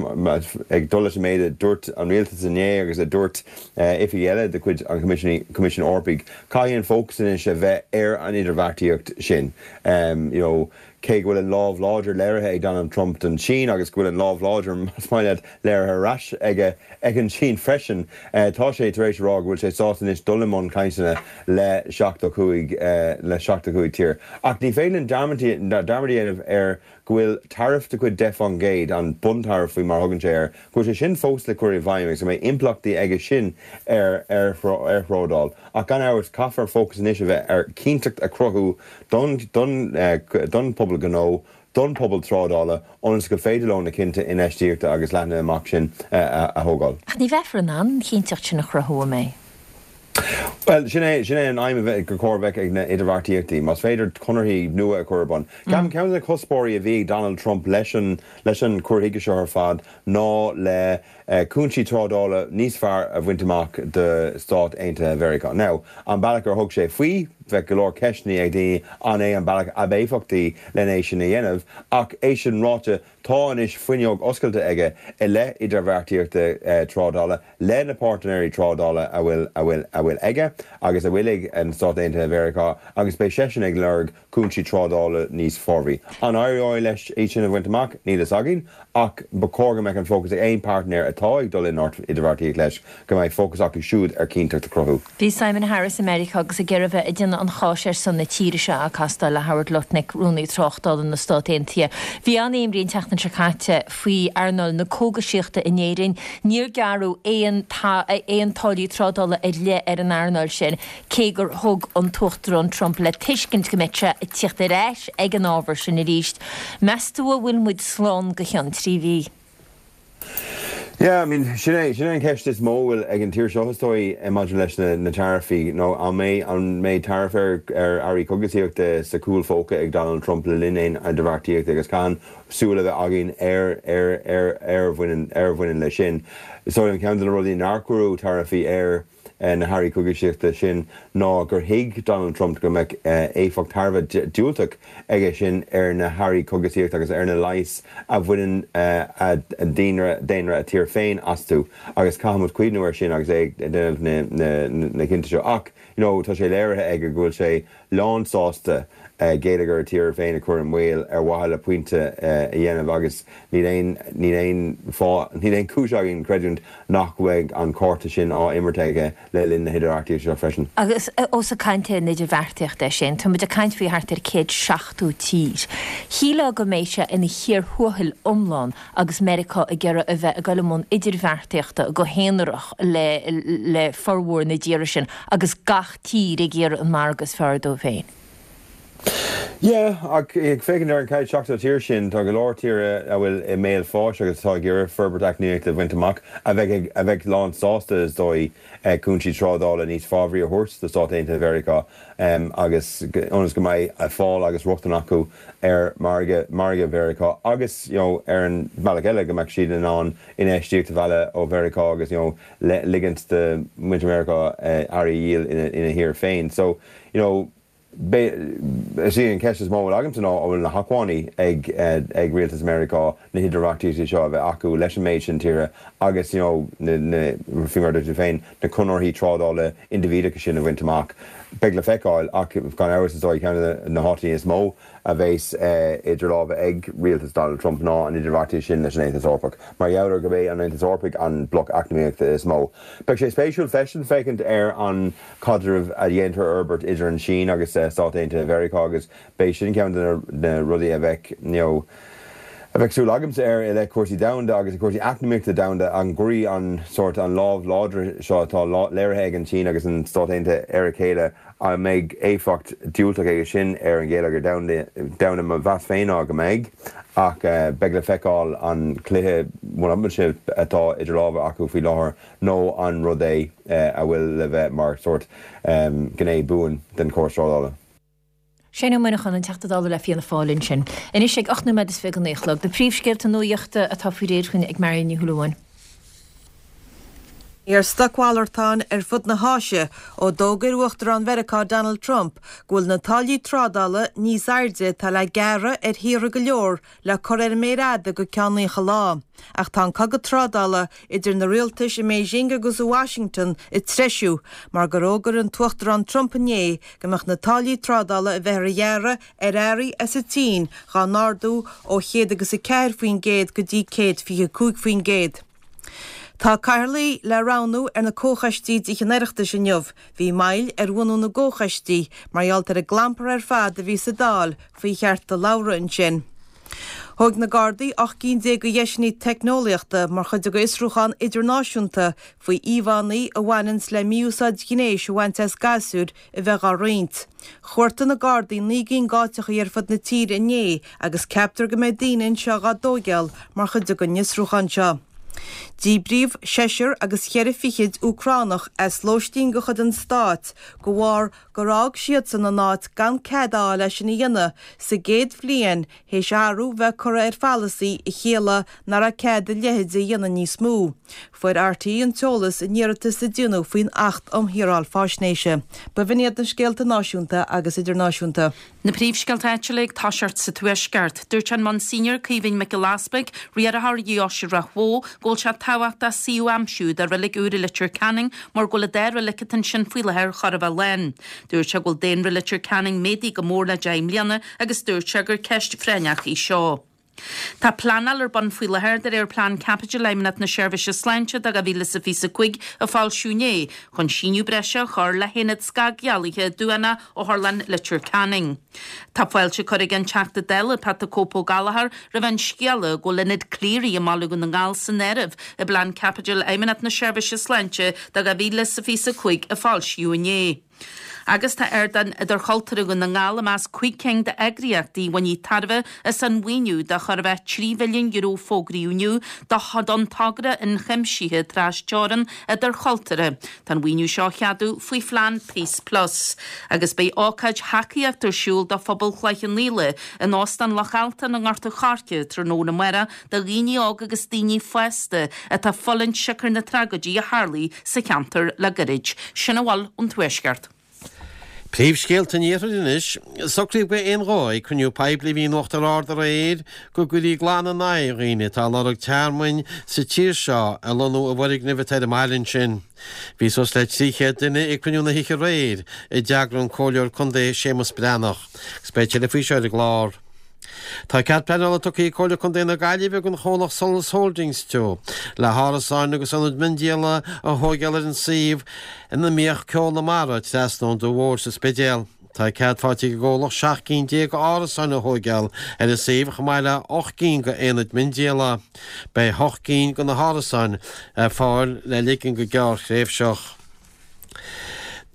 ag dul leis an méid a dúirt an rialtas inné agus a dúirt oifigigh eile de chuid an Choimisiúin Eorpaigh, caithfidh an fócas anois a bheith ar an idirbheartaíocht sin. You know, cé go bhfuil an lámh láidir léirithe ag Donald Trump don tSín agus go bhfuil an lámh láidir, más maith leat, léirithe ar ais aige ag an tSín freisin, tá sé tar éis a rá go bhfuil sé sásta anois dul i mbun cainteanna le seachtó cúig le seachtó cúig tír. Ach ní féidir linn dearmad a dhéanamh ar go bhfuil taraif de chuid deich faoin gcéad, an buntaraif faoi mar a thugann sé air, go bhfuil sé sin fós le cur i bhfeidhm agus go mbeidh impleachtaí aige sin ar ar thrádáil. Ach gan amhras, caithfear fócas anois a bheith ar chinnteacht a chruthú don don phobal gnó, don phobal trádála, ionas gur féidir leo na cinnte infheistíochta agus leathnaithe amach sin a thógáil. Ach ní bheifear in ann an chinnteacht sin a chruthú, an mbeidh? Bhuel, sin é, sin é an aidhm a bheith, gur chóir a bheith ag na idirbheartaíochtaí. Más féidir conarthaí nua a chur ar bun. Ceapaim, ceann de na cuspóirí a bhí ag Donald Trump leis an, leis an cur chuige seo ar fad ná le cúinsí trádála níos fearr a bhaint amach do Stáit Aontaithe Mheiriceá. Now, an bealach ar thug sé faoi, bheadh go leor ceisteanna ag daoine an é an bealach ab éifeachtaí len é sin a dhéanamh, ach é sin ráite, tá anois fuinneog oscailte aige i leith idirbheartaíochta trádála le na páirtnéirí trádála a bhfuil a bhfuil a bhfuil aige agus a bhfuil ag na Stáit Aontaithe Mheiriceá agus beidh seisean ag lorg cúinsí trádála níos fabhraí. An éireoidh leis iad sin a bhaint amach? Níl fhios againn, ach ba chóir go mbeadh an fócas ag aon páirtnéir atá ag dul in idirbheartaíocht leis go mbeidh fócas acu siúd ar chinnteacht a chruthú. Bhí Simon Harris i Meiriceá agus ag iarraidh a bheith ag déanamh déanamh an cháis ar son na tíre seo ag castáil le Howard Lutnick, Rúnaí Tráchtála na Stát Aontaithe. Bhí an-imní an tseachtain seo caite faoi earnáil na cógaisíochta in Éirinn. Níor gearradh aon aon táillí trádála ar leith ar an earnáil sin, cé gur thug an tUachtarán Trump le tuiscint go mbeadh sé ag tíocht ar ais ag an ábhar sin arís. Meas tú an bhfuil muid slán go ceann trí mhí? Yeah, I mean, sin é sin é an ceist is mó a bhfuil ag an tír seo is dóigh maidir leis na na taraifí nó an mbeidh an mbeidh taraif ar ar earraí cogaisíochta sa chúl phóca ag Donald Trump le linn aon idirbheartaíochta agus caithfidh súil a bheith againn ar ar ar ar bhaineann ar bhaineann leis sin. So an ceann de na rudaí nár cuireadh taraifí ar na hearraí cogaisíochta sin ná gur thuig Donald Trump go mbeadh éifeacht thar a bheith diúltach aige sin ar na hearraí cogaisíochta agus ar na leighis a bhaineann daonra daonra a tír féin astu agus caithfimid cuimhneamh air sin agus é ag déanamh na cinnte seo. Ach you know tá sé léirithe aige go bhfuil sé lánsásta geilleagar a tíre féin a chur i mbaol ar mhaithe le pointe a dhéanamh agus níl aon níl aon fáth níl aon chúis againn creidiúint nach bhfuil an cárta sin á imirt aige le linn na hidirbheartaíochta seo freisin. Agus ós ag caint ar an idirbheartaíocht é sin, tá muid ag caint faoi thart ar céad seachtó tír. Shílfeá go mbeidh sé ina chíor thuathail iomlán agus Meiriceá ag iarraidh a bheith ag dul i mbun idirbheartaíochta go haonarach le le formhór na dtíortha sin agus gach tír ag iarraidh an margadh is fearr dóibh féin. Yeah, ach ag féachaint ar an céad seachtó tír sin, tá go leor tíortha a bhfuil i mbéal fáis agus atá ag iarraidh forbairt eacnamaíochta a bhaint amach, a bheidh a bheidh lán sásta is dóigh cúinsí trádála níos fabhraí a thabhairt do Stáit Aontaithe Mheiriceá agus ionas go mbeidh fáil agus rochtain acu ar mhargadh margadh Mheiriceá agus you know ar an bhealach eile go mbeadh siad in ann infheistíocht a mhealladh ó Mheiriceá agus you know ligint do mhuintir Mheiriceá earraí a dhíol ina ina thír féin. So you know Is í an cheist is mó a bhfuil agamsa ná an bhfuil na hacmhainní ag ag rialtas Meiriceá na hidirbheartaíochtaí seo a bheith acu leis an méid sin tíortha agus you know na na faoi mar a dúirt tú féin na conarthaí trádála indibhídeacha sin a bhaint amach. Beidh le feiceáil ach gan amhras is dóigh ceann de na háiteanna is mó a bheas idir lámha ag rialtas Donald Trump ná an idirbheartaíocht sin leis an Aontas Eorpach mar gheall ar gurb é an Aontas Eorpaigh an bloc eacnamaíochta is mó. Beidh sé spéisiúil freisin féachaint ar an caidreamh a dhéantar a fhorbairt idir an tSín agus Stáit Aontaithe Mheiriceá agus beidh sin ceann de na rudaí a bheidh you know a bheidh súil agamsa air i leith cúrsaí domhanda agus cúrsaí eacnamaíochta domhanda, an gcuirfidh an sórt an lámh láidir seo atá léirithe ag an tSín agus an Stáit Aontaithe ar a chéile, an mbeidh éifeacht diúltach aige sin ar an gheilleagar domhanda? Mo mheas féin ná go mbeidh, ach beidh le feiceáil an cluiche one-upmanship atá idir lámha acu faoi láthair nó an rud é a bhfuil le bheith mar sórt gné buan den chóras trádála. Shane Ó Muineacháin, an Teachta Dála le Fianna Fáil ansin. Anois ag ocht nóiméad is fiche go naoi a chlog, na príomhscéalta nuachta atá faoi réir chugainn ag Marion Ní Shúilleabháin. Ar stocmhalartáin ar fud na hÁise ó d'fhógair Uachtarán Mheiriceá Donald Trump go bhfuil na táillí trádála níos airde atá le gearradh ar thíortha go leor le cur ar an méar fhada go ceann naocha lá. Ach tá an cogadh trádála idir na rialtais i mBeijing agus i Washington ag treisiú mar gur fhógair an tUachtarán Trump inné go mbeadh na táillí trádála a bheifear a ghearradh ar earraí as an tSín dhá n-ardú ó chéad agus a ceathair faoin gcéad go dtí céad fiche cúig faoin gcéad. Tá cathaoirligh le roghnú ar na comhchoistí de Thithe an Oireachtais inniu. Bhí moill ar bhunú na gcomhchoistí mar gheall ar an gclampar ar fad a bhí sa Dáil faoi chearta labhartha ansin. Thóg na Gardaí ocht gcinn déag de dheiseanna teicneolaíochta mar chuid de fhiosrúchán idirnáisiúnta faoi íomhánna a bhaineanns le mí-úsáid ghnéis a bhaint as gasúir a bheith dhá roinnt. Chuartaigh na Gardaí naoi gcinn d'áiteachaí ar fud na tíre inné agus ceaptar go mbeidh daoine anseo dhá dtóigeáil mar chuid den fhiosrúchán seo. Díbríodh seisear agus cheithre fichid Úcránach as lóistín de chuid an stáit de bharr gur fhág siadsan an áit gan cead a fháil leis sin a dhéanamh sa gcéad bhliain théis athrú bheith curtha ar pholasaí a chiallaigh nach raibh cead a leithéid a dhéanamh níos mó. Fuair RTÉ an t-eolas in iarratas a déanadh faoin Acht um Shaoráil Faisnéise. B'in iad na scéalta náisiúnta agus idirnáisiúnta. Na príomhscéalta áitiúla ag toiseacht sa Tuaisceart. Dúirt an Monsignor Caoimhín Mac Giolla Easpaig, riarthóir Dheoise Ráth Bhoth, go bhfuil sé tábhachtach suíomh a aimsiú do reilig úr i Leitir Ceanainn mar go bhfuil an dá reilig atá ansin faoi láthair chóir a bheith lán. Dúirt sé go bhfuil daonra Leitir Ceanainn méadaithe go mór le deich mbliana agus dúirt sé gur ceist phráinneach í seo. Tá pleanáil ar bun faoi láthair de réir Plean Caipitil Fheidhmeannacht na Seirbhíse Sláinte do dhá mhíle is a fiche a cúig a foilsíodh inné, chun síneadh breise a chur le haonad scagdhealaithe Dúanna Otharlann Leitir Ceanainn. Tá fáilte curtha ag an Teachta Dála Pat the Cope Ó Gallchóir roimh an scéala go bhfuil Ionad Cleary i mBaile Dhún na nGall san áireamh i bPlean Caipitil Fheidhmeannacht na Seirbhíse Sláinte do dhá mhíle is a fiche a cúig a foilsíodh inné. Agus tá Ardán Idirchultúrtha Dhún na nGall i measc cúig cinn d'eagraíochtaí a bhainfidh tairbhe as an mhaoiniú de chóir a bheith trí mhilliún euro a fógraíodh inniu don togra ionchuimsithe trasteorann idirchultúrtha. Tá an mhaoiniú seo á cheadú faoi phlean Peace Plus. Agus beidh ócáid thacaíochta ar siúl do phobal Chloich Cheann Fhaola in Óstán Loch Altan i nGort an Choirce tráthnóna amárach do dhaoine óga agus daoine fásta atá ag fulaingt siocair na tragóidí a tharlaigh sa cheantar le gairid. Sin a bhfuil ón Tuaisceart. Príomhscéalta an Iarthair anois. Socraíodh d'aon ghuth ag cruinniú poiblí a bhí in Uachtar Ard aréir go gcuirfí glan in aghaidh dhaoine atá ag lorg tearmainn sa tír seo a lonnú i bhfoirgnimh atá ar an mbaile ansin. Bhí suas le trí chéad duine ag cruinniú na hoíche aréir a d'eagraigh an Comhairleoir Contae Séamus Breathnach. Agus beidh tuilleadh faoi seo ar an gclár. Tá cead pleanála tugtha ag Comhairle Contae na Gaillimhe don chomhlacht Solas Holdings Teo le hárasáin agus ionad miondíola a thóigeáil ar an suíomh ina mbíodh Ceol na Mara trasna ón Dumha Mhór sa Spidéal. Tá cead faighte ag an gcomhlacht seacht gcinn déag árasáin a thóigeáil ar an suíomh chomh maith le hocht gcinn d'aonaid miondíola. Beidh hocht gcinn de na hárasáin ar fáil le ligean go gearrthréimhseach.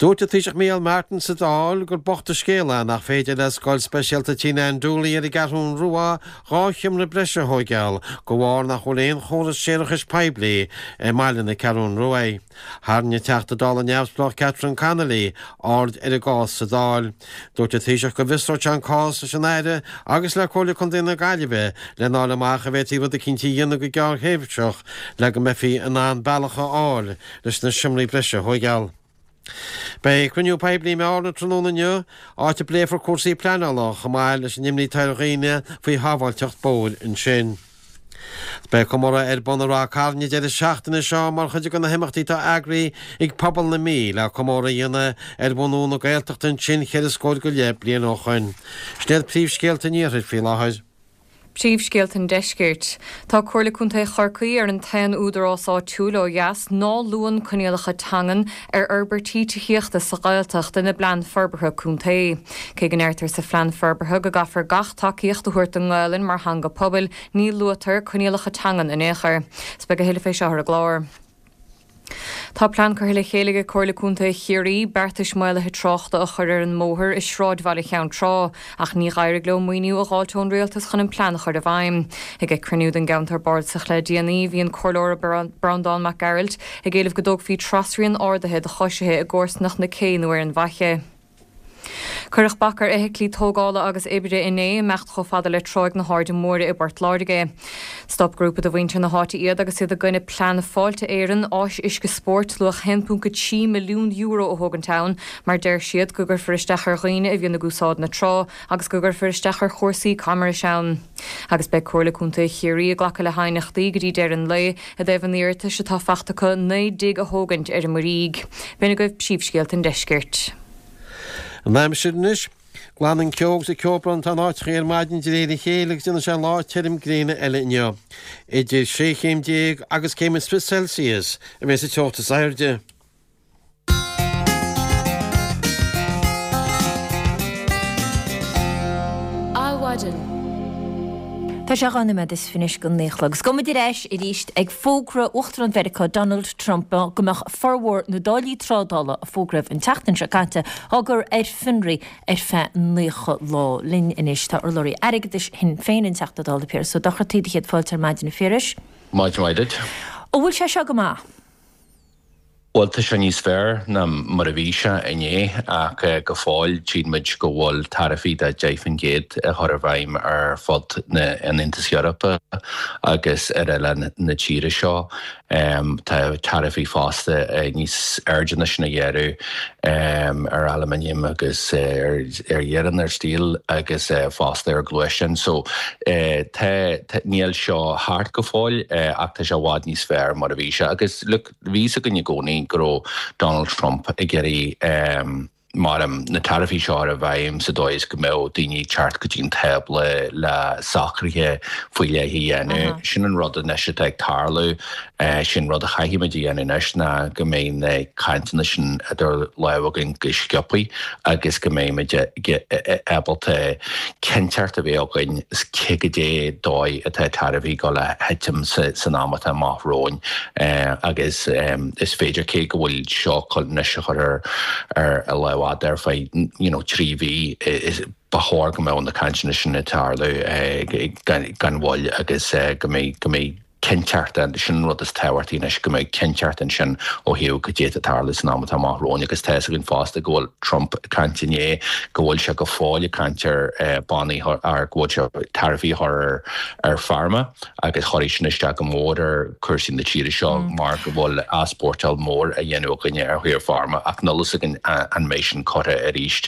Dúirt an Taoiseach Micheál Martin sa Dáil gur bocht an scéal é nach féidir le Scoil Speisialta Tina Ann Dooley ar an gCeathrú Rua dhá sheomra breise a thóigeáil de bharr nach bhfuil aon chóras séarachais poiblí i mbaile na Ceathrún Rua. Tharraing an Teachta Dála neamhspleách Catherine Connolly aird ar an gcás sa Dáil. Dúirt an Taoiseach go bhfiosródh sé an cás leis an Aire agus le Comhairle Contae na Gaillimhe lena fháil amach an bhféadfaí rud eicínt a dhéanamh go gearrthréimhseach le go mbeifí in ann bealach a fháil leis na seomraí breise a thóigeáil. Beidh cruinniú poiblí i mBearna tráthnóna inniu, áit a bpléifear cúrsaí pleanála chomh maith leis an imní atá ar dhaoine faoi shábháilteacht bóthair ansin. Beidh comóradh ar bun i Ráth Cairn an deireadh seachtaine seo mar chuid de na himeachtaí atá eagraithe ag pobal na Mí le comóradh a dhéanamh ar bhunú na Gaeltachta ansin cheithre scór go leith bliain ó shoin. Sin iad príomhscéalta an Iarthair faoi láthair. Príomhscéalta an Deiscirt. Tá Comhairle Contae Chorcaí ar an t-aon údarás áitiúil ó dheas ná luann coinníollacha teangan ar fhorbairtí tithíochta sa Ghaeltacht ina bplean forbartha contae. Cé go ndeirtear sa phlean forbartha go gcaithfear gach tacaíocht a thabhairt don nGaelainn mar theanga pobail, ní luaitear coinníollacha teangan in aon chor. 'S beidh a thuilleadh fé seo ar an gclár. Tá plean curtha le chéile ag Comhairle Contae Chiarraí beartais maolaithe tráchta a chur ar an mbóthar i sráidbhaile Cheann Trá, ach ní d'éirigh leo maoiniú a dh'fháilt ón rialtas chun an plean a chur i bhfeidhm. Ag cruinniú den gceantar bardasach le déanaí, bhí an Comhairleoir Breandán Mac Gearailt ag éileamh go dtógfaí trasrian ardaithe do choisithe i gcomharsanacht na cé nó ar an bhFaiche. Cuireadh bac ar fheithiclí tógála agus oibre inné imeacht chomh fada le Tráigh na hAirde Móire i bPort Láirge. Stop grúpa de mhuintir na háite iad agus iad i gcoinne plean Fáilte Éireann áis uisce spóirt luach haon ponc a trí milliún euro a thógaint ann mar deir siad go gcuirfear isteach ar dhaoine a bhíonn ag úsáid na trá agus go gcuirfear isteach ar chúrsaí camrais ann. Agus beidh Comhairle Contae Chiarraí ag glacadh le haighneachtaí go dtí deireadh an lae i dtaobh an iarratais atá faighte acu naoi dtigh a thógaint ar an Muirígh. B'in agaibh príomhscéalta an deiscirt. An aimsir anois. Glanann ceo agus ceobhrán atá in áiteachaí ar maidin de réir a chéile agus déanfaidh sé lá tirim gréine eile inniu. Idir sé chéim déag agus céim is fiche Celsius a bheas an teocht is airde. Adhmhaidin. Tá sé dhá nóiméad is fiche anois go naoi a chlog. Agus gabhfaidh muid ar ais arís ag fógra Uachtarán Mheiriceá Donald Trump go mbeadh formhór na dtáillí trádála a fógraíodh an tseachtain seo caite á gcur ar fionraí ar feadh naocha lá. Linn anois tá urlabhraí airgeadais Shinn Féin, an Teachta Dála Piaras Ó Dochartaigh. Do chéad fáilte ar maidin a Phiarais. Maidin mhaith duit. An bhfuil sé seo go maith? Bhuel, tá sé níos fearr ná mar a bhí sé inné ach go fóill tchíonn muid go bhfuil taraifí de deich faoin gcéad á chur i bhfeidhm ar fud an Aontais Eorpaigh agus ar oileán na tíre seo. Tá taraifí fosta níos airde ná sin a ghearradh ar aluminium agus ar iarann, ar steel agus fosta ar ghluaisteáin. So tá, níl seo thart go fóill ach tá sé i bhfad níos fearr mar a bhí sé agus look, Bhí fhios againn i gcónaí go raibh Donald Trump ag iarraidh Mar na taraifí seo i bhfeidhm sa dóigh is go mbeadh daoine ag teacht go dtí an tábla le socruithe faoi leith a dhéanamh. Sin an rud anois atá ag tarlú. Sin rud a chaithfimid a dhéanamh anois ná go mbeidh na cainteanna sin idir lámha againn go sciobtha agus go mbeimid ábalta cinnteacht a bheith againn cé goidé dóigh atá taraifí ag dul a thitim san am atá amach romhainn agus is féidir cé go bhfuil seo anois a chur ar ar a lámh fhada ar feadh you know trí mhí ba chóir go mbeadh na cainteanna sin ag tarlú gan mhoill agus go mbeidh go mbeidh cinnteacht ann. Sin an rud is tábhachtaí anois, go mbeidh cinnteacht ansin ó thaobh cad é atá ag tarlú san am atá amach romhainn agus tá fhios againn fosta go bhfuil Trump ag caint inné go bhfuil sé go fóill ag caint ar bannaí ar go bhfuil sé taraifí a chur ar pharma agus chuirfeadh sin isteach go mór ar chúrsaí na tíre seo mar go bhfuil easpórtáil mór á dhéanamh againne ar thaobh pharma ach níl fhios againn an mbeidh sin curtha arís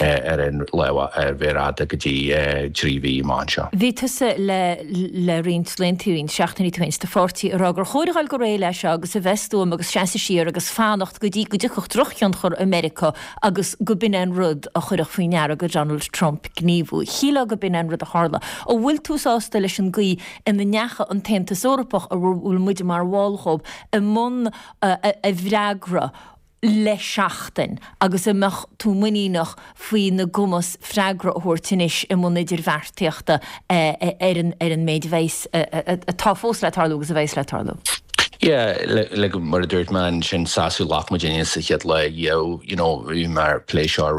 ar an lámh ar mhéar fhada go dtí trí mhí amach anseo. Bhí tusa le le roinnt laethanta, roinnt seachtainí ó shin, sa pháirtí ag rá gur chóir a dhul go réidh leis seo agus a bheith stuama agus seasamh siar agus fanacht go dtí go dtiocfadh drochthionchar i Meiriceá agus go b'in é an rud a chuirfeadh faoi ndeara go Donald Trump gníomhú. Shílfeá go b'in é an rud a tharla. An bhfuil tú sásta leis an gcaoi ina ndeachaigh an tAontas Eorpach, a bhfuil muide mar bhall dhób, i mbun a bhfreagra le seachtain agus an mbeadh tú muiníneach faoina gcumas freagra a thabhairt anois i mbun idirbheartaíochta ar an méid a bheas, atá fós le tarlú agus a bheas le tarlú? Yeah, like mar a dúirt mé ansin sásamh ghlac muidinne sa chéad lá you you know bhí mé ag plé seo ar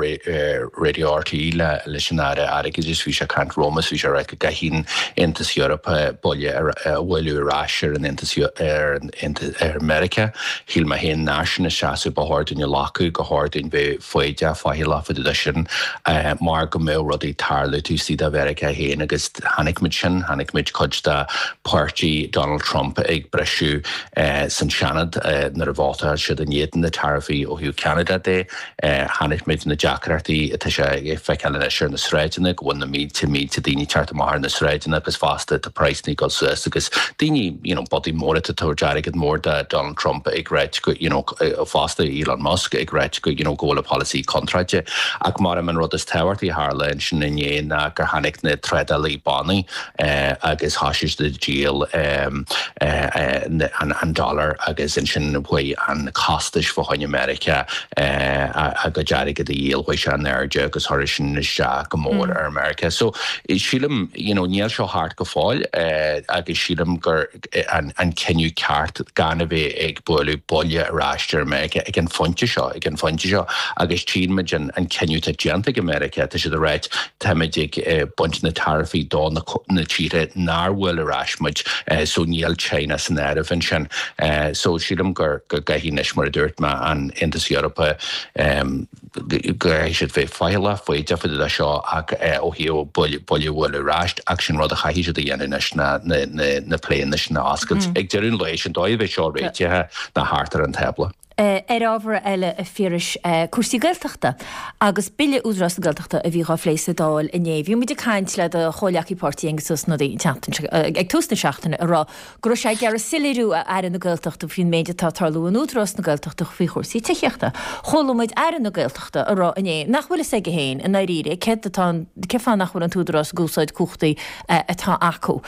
Radio RTÉ le leis an Aire Airgeadais bhí sé ag caint romham is bhí sé ag rá go gcaithfidh an Aontas Eorpach buille a bhualadh ar ais ar an Aontas ar an ar Meiriceá. Shíl mé féin nár sin an seasamh ba chóir dúinn a ghlacadh, gur chóir dúinn bheith foighdeach faichilleach fá dtaobh de sin mar go mbeadh rudaí ag tarlú taobh istigh de Mheiriceá féin agus chonaic muid sin, chonaic muid cuid de pháirtí Donald Trump ag briseadh san Seanad nuair a vótáil siad in éadan na taraifí ó thaobh Ceanada de. Chonaic muid na deacrachtaí atá sé ag feiceáil anois ar na sráideanna, go bhfuil na mílte, mílte daoine ag teacht amach ar na sráideanna agus fosta tá praghsanna ag dul suas agus daoine, you know, bodaí móra atá ag tabhairt airgead mór do Donald Trump ag ráit go, you know, fosta Elon Musk ag ráit go, you know, go bhfuil a pholasaí contráilte. Ach mar an rud is tábhachtaí a tharla ansin inné ná gur tháinig na trádálaí bannaí agus thosaigh siad ag díol an dollar agus ansin chuaigh an costais fá choinne Meiriceá a gcuid airgead a dhíol, chuaigh sé in airde agus chuir sin isteach go mór ar Meiriceá. So sílim, you know, níl seo thart go fóill agus sílim gur an cinneadh ceart gan a bheith ag bualadh buille ar ais ar Meiriceá ag an phointe seo, ag an phointe seo agus tchíonn muid an cinneadh atá déanta ag Meiriceá, tá siad ag ráit táimid ag baint na taraifí do na tíortha nár bhuail ar ais muid so níl China san áireamh ansin. So sílim gur go gcaithfidh anois mar a dúirt mé an Aontas Eorpach go gcaithfidh siad bheith faichilleach foighdeach fá dtaobh de seo ach ó thaobh buille a bhualadh ar ais ach sin rud a chaithfidh siad a dhéanamh anois ná na pléanna sin a oscailt. Ag deireadh an lae sin dóigh a bheidh seo réitithe ná thart ar an tábla. Ar ábhar eile, a Phiarais, cúrsaí Gaeltachta agus Bille Údarás na Gaeltachta a bhí dhá phlé sa Dáil inné. Bhí muid ag caint le do chomhghleacaí páirtí Aengus Ó Snodaigh an tseachtain seo, ag tús na seachtaine, ag rá go raibh sé ag iarraidh soiléiriú ó Aire na Gaeltachta faoin méid atá ag tarlú in Údarás na Gaeltachta faoi chúrsaí tithíochta. Chuala muid Aire na Gaeltachta ag rá inné nach bhfuil fhios aige féin i ndáiríre céard atá, cén fáth nach bhfuil an tÚdarás ag úsáid cumhachtaí atá acu.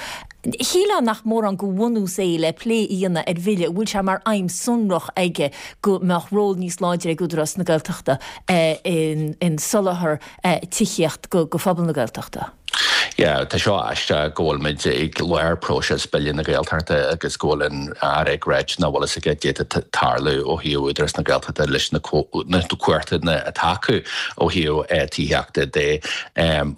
Shílfeá nach mórán de bhunús é le plé a dhéanamh ar bhille a bhfuil sé mar aidhm sonrach aige go mbeadh ról níos láidre ag Údarás na Gaeltachta in soláthar tithíocht go phobal na Gaeltachta. Yeah, tá seo aisteach go bhfuil muid ag lár próiseas Bille na Gaeltachta agus go bhfuil an Aire ag ráit nach bhfuil fhios aige cad é atá ag tarlú ó thaobh Údarás na Gaeltachta leis na cumhachtanna atá acu ó thaobh tithíochta de.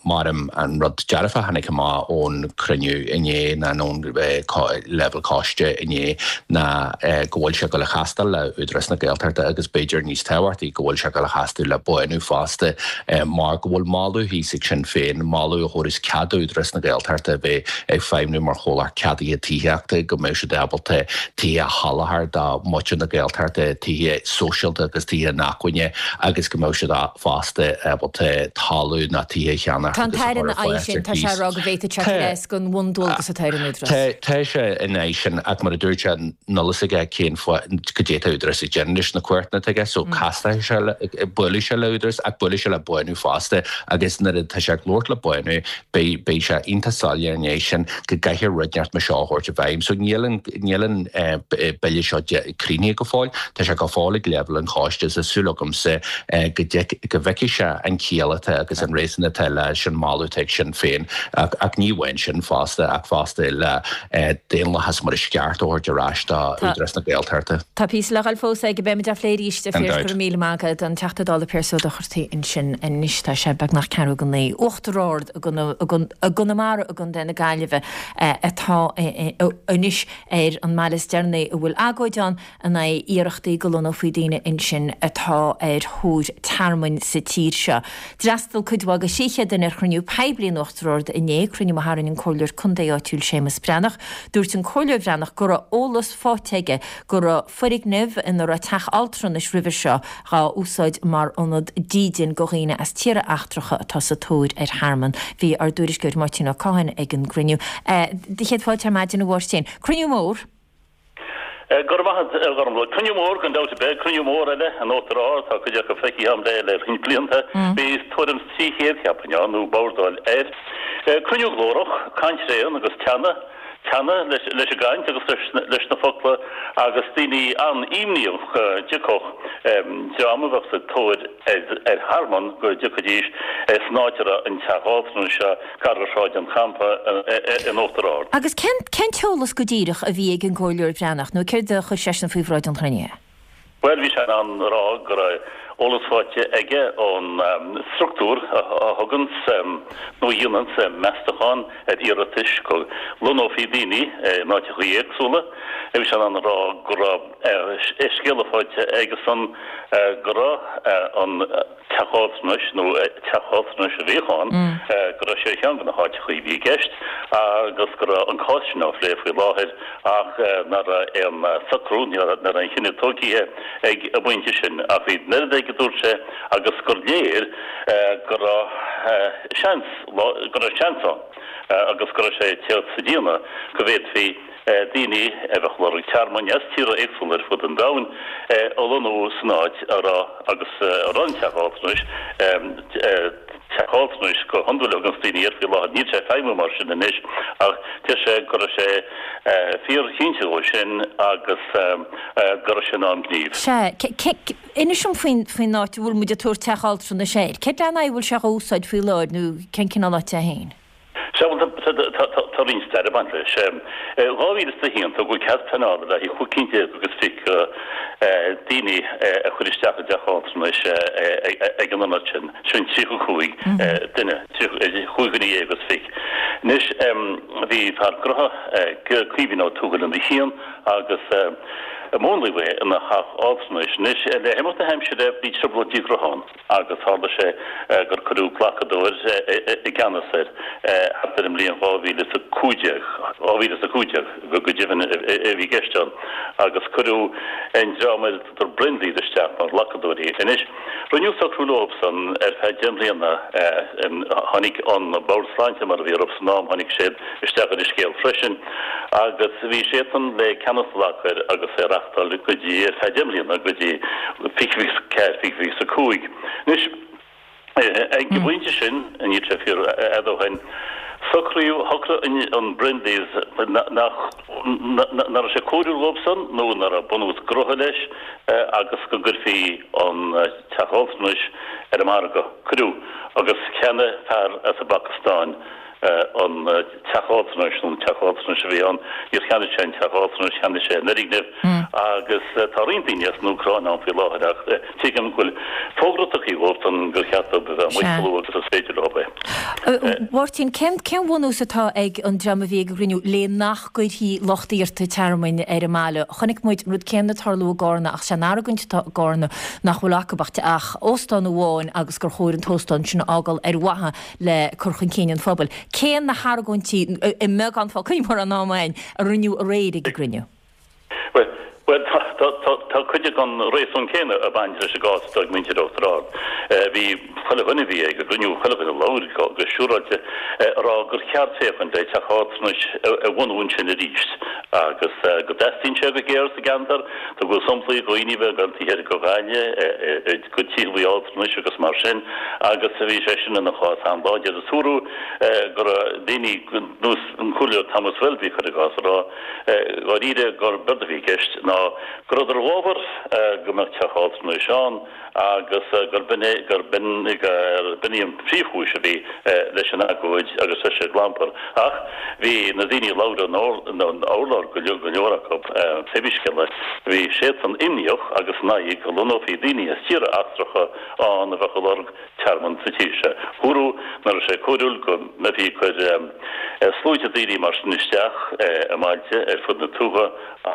Mar an rud dearfach a tháinig amach ón cruinniú inné ná ón leibhéal coiste inné ná go bhfuil sé ag dul a chastáil le Údarás na Gaeltachta agus b'fhéidir níos tábhachtaí go bhfuil sé ag dul a chastáil le Bánú fosta mar go bhfuil moladh thíos ag Sinn Féin, moladh a thabharfas cead gá d'Údarás na Gaeltachta a bheith ag feidhmiú mar chomhlacht ceadaithe tithíochta, go mbeadh siad ábalta tithe a sholáthar do mhuintir na Gaeltachta, tithe sóisialta agus tithe inacmhainne agus go mbeadh siad fosta ábalta talamh nó tithe a cheannach Tá an agus a tAire chur ina ar aghaidh fáil sin, ar tá sé cíos. ag rá go bhféadfadh sé Tá cur as don bhundualgas atá ar an Údarás. Tá tá sé ina aghaidh sin ach mar a dúirt sé níl a fhios aige cén fáth cad é atá Údarás ag déanamh leis na cumhachtanna atá aige so casfaidh sé le buailfidh sé le Údarás ach buailfidh sé le Bánú fosta agus nuair atá sé ag labhairt le Bánú beidh beidh sé iontach soiléir ina dhiaidh sin go gcaithfear rud inteacht mar seo a thabhairt i bhfeidhm. So níl an níl an bille seo críochnaithe go fóill, tá sé go fóill ag leibhéal an choiste is tá súil agamsa go go bhfeicfidh sé an chiall atá agus an réasún atá leis an moladh atá ag Sinn Féin ach ach ní amháin sin fosta ach fosta le daonlathas mar is ceart a thabhairt ar ais do Údarás na Gaeltachta. Tá píosa le dhul fós aige, beimid á phlé arís, a Gan Phiarais, dabht. go raibh míle maith agat, an Teachta Dála Pearse Ó Dochartaigh ansin anois, tá sé beagnach ceathrú go naoi. Uachtar Ard i gConamara i gContae na Gaillimhe atá anois ar an mbaile is deireanaí a bhfuil agóid ann in aghaidh iarrachtaí go lonnófaí daoine ansin atá ar thóir tearmainn sa tír seo. D'fhreastail cuid mhaith de thrí chéad duine ar chruinniú poiblí in Uachtar Ard inné, cruinniú a tharraing an Comhairleoir Contae áitiúil Séamus Breathnach. Dúirt an Comhairleoir Breathnach go raibh eolas faighte aige go raibh foirgneamh ina raibh teach altranais roimhe seo dhá úsáid mar ionad dídine go dhaoine as tíortha eachtracha atá sa tóir ar thearmann. Bhí ár dtuairisceoir Máirtín Ó Cadhain ag an gcruinniú. Do chéad fáilte ar maidin a Mháirtín. Cruinniú mór. Go raibh maith agat, a Ghormfhlaith. Cruinniú mór gan dabht ar bith, cruinniú mór eile in Uachtar Ard, tá cuid acu feicthe agam le le roinnt blianta. Bhí tuairim is trí chéad, cheapfainn, ann, nó bordáil air. Cruinniú glórach, caint thréan agus teannadh, teannadh leis leis an gcaint agus leis leis na focla agus daoine an-imníoch go dtiocfadh dream a bheadh sa tóir ar ar thearmann go dtiocfaidís san áit a raibh an teach altranais seo gar do Shráid an Champa in Uachtar Ard. Agus cén cén t-eolas go díreach a bhí ag an gComhairleoir Breathnach nó céard a chuir seisean faoi bhráid an chruinnithe? Bhuel, bhí sé in ann a rá go raibh eolas faighte aige ón struchtúr a thuganns nó a dhéananns meastachán ar iarratais go lonnófaí daoine in áiteachaí éagsúla. Bhí sé in ann a rá go raibh scéala faighte aigesan go raibh an teach altranais, nó teach altranais a bhíodh ann, go raibh sé ar cheann de na háiteachaí a bhí i gceist agus go raibh an cás sin á phlé faoi láthair ach nach raibh aon socrú, ní raibh aon chinneadh tógtha ag an bpointe sin. Ach bhí an oiread aige, a dúirt sé, agus gur léir go raibh seans, go raibh seans ann agus go raibh sé ag teacht sa déanamh go bhféadfaí daoine a bheadh ag lorg tearmainn as tíortha éagsúla ar fud an domhain a lonnú san áit a raibh agus a raibh an teach altranais, teach altranais go hiondúil a thuganns daoine air faoi láthair, níl sé ag feidhmiú mar sin anois ach deir sé go raibh sé fíorchinnte dhó sin agus go raibh sé in am gnímh. Sea, inis dom faoin faoin áit a bhfuil muid ag tabhairt teach altranais air. Céard lena aghaidh a bhfuil sé á úsáid faoi láthair nó cén cineál áite é féin? Sea, bhuel, tá roinnt staire ag baint leis. Dhá mhíle is a haon, tugadh cead pleanála le haghaidh chúig cinn déag agus fiche daoine a chur isteach i dteach altranais ag an ionad sin, sin tríocha cúig duine, chúig dhuine dhéag agus fiche. Anois, bhí fear gnó, Caoimhín Ó Tuathail ina cheann agus múnlaíodh é ina theach altranais. Anois, le himeacht na haimsire, bhí trioblóidí gnó ann. agus tharla sé gur cuireadh glacadóir i gceannas air thart ar an mbliain dhá mhíle is a cúig déag, dhá mhíle is a cúig déag go deimhin a bhí i gceist ann, agus cuireadh an dream ar a dtugtar Brindleys isteach mar ghlacadóirí. Anois, rinneadh socrú leobsan ar feadh deich mbliana, tháinig an Bord Sláinte, mar a bhí orthu san am, tháinig siad isteach ar an scéal freisin, agus bhí siadsan le ceannas a ghlacadh air agus é a reachtáil go dtí, ar feadh deich mbliana, go dtí fiche fiche ceathair, fiche fiche a cúig. Anois, ag an bpointe sin, níl sé fíor fhada ó shin, socraíodh, shocraigh an Brindleys nach, nach raibh sé cóiriúil dhóibhsan nó nach raibh bunús gnótha leis agus go gcuirfí an teach altranais ar an margadh. Cuireadh, agus cheannaigh fear as an bPacastáin an teach altranais, nó an teach altranais a bhí ann, níor cheannaigh sé an teach altranais, cheannaigh sé an fhoirgneamh agus tá roinnt daoine as an Úcráin ann faoi láthair ach tuigim go bhfuil fógra tugtha dhóibhsan gur cheart dóibh a bheith amuigh chomh luath agus is féidir leo é. Mháirtín, cén cén bhunús atá ag an dream a bhí ag an gcruinniú le nach gcuirfí lucht iarrta tearmainn ar an mbaile? Chonaic muid an rud céanna ag tarlú i gCarna ach sé an argóint atá i gCarna nach bhfuil acu ach óstán amháin agus gur chóir an t-óstán sin a fhágáil ar mhaithe le cur chun cinn an phobail. Cé na hargóintí i mbeagán focal, níl mórán ama againn, a rinneadh aréir ag an gcruinniú? Bhuel, bhuel, tá, tá, tá, tá cuid den réasún céanna ag baint leis an gcás atá ag muintir Uachtar Ard. Bhí chuile dhuine a bhí ag an gcruinniú, chuile dhuine a labhair go, go siúráilte, a rá gur cheart féachaint le teach altranais a bhunú ansin arís agus go dteastaíonn sé go géar sa gceantar. Tugadh samplaí de dhaoine a bheith ag dul taobh thiar de Ghaillimh go tithe altranais agus mar sin agus bhí sé sin ina chás an-láidir. Is dúradh go raibh daoine ar nós an Comhairleoir Thomas Welby, cuir i gcás, a rá dháiríre gurb éard a bhí i gceist ná go rabhadar i bhfabhar go mbeadh teach altranais ann agus gurb in é gurb in gurb in í an phríomhchúis a bhí leis an agóid agus leis an gclampar. Ach bhí na daoine a labhair ar an urlár, go leor acu, pé scéal é, bhí siadsan imníoch agus in aghaidh go lonnófaí daoine as tíortha eachtracha ann a bheadh ag lorg tearmann sa tír seo. Dúradh nach raibh sé cóiriúil go mbeifí ag cur sluaite daoine mar sin isteach i mbailte ar fud na tuaithe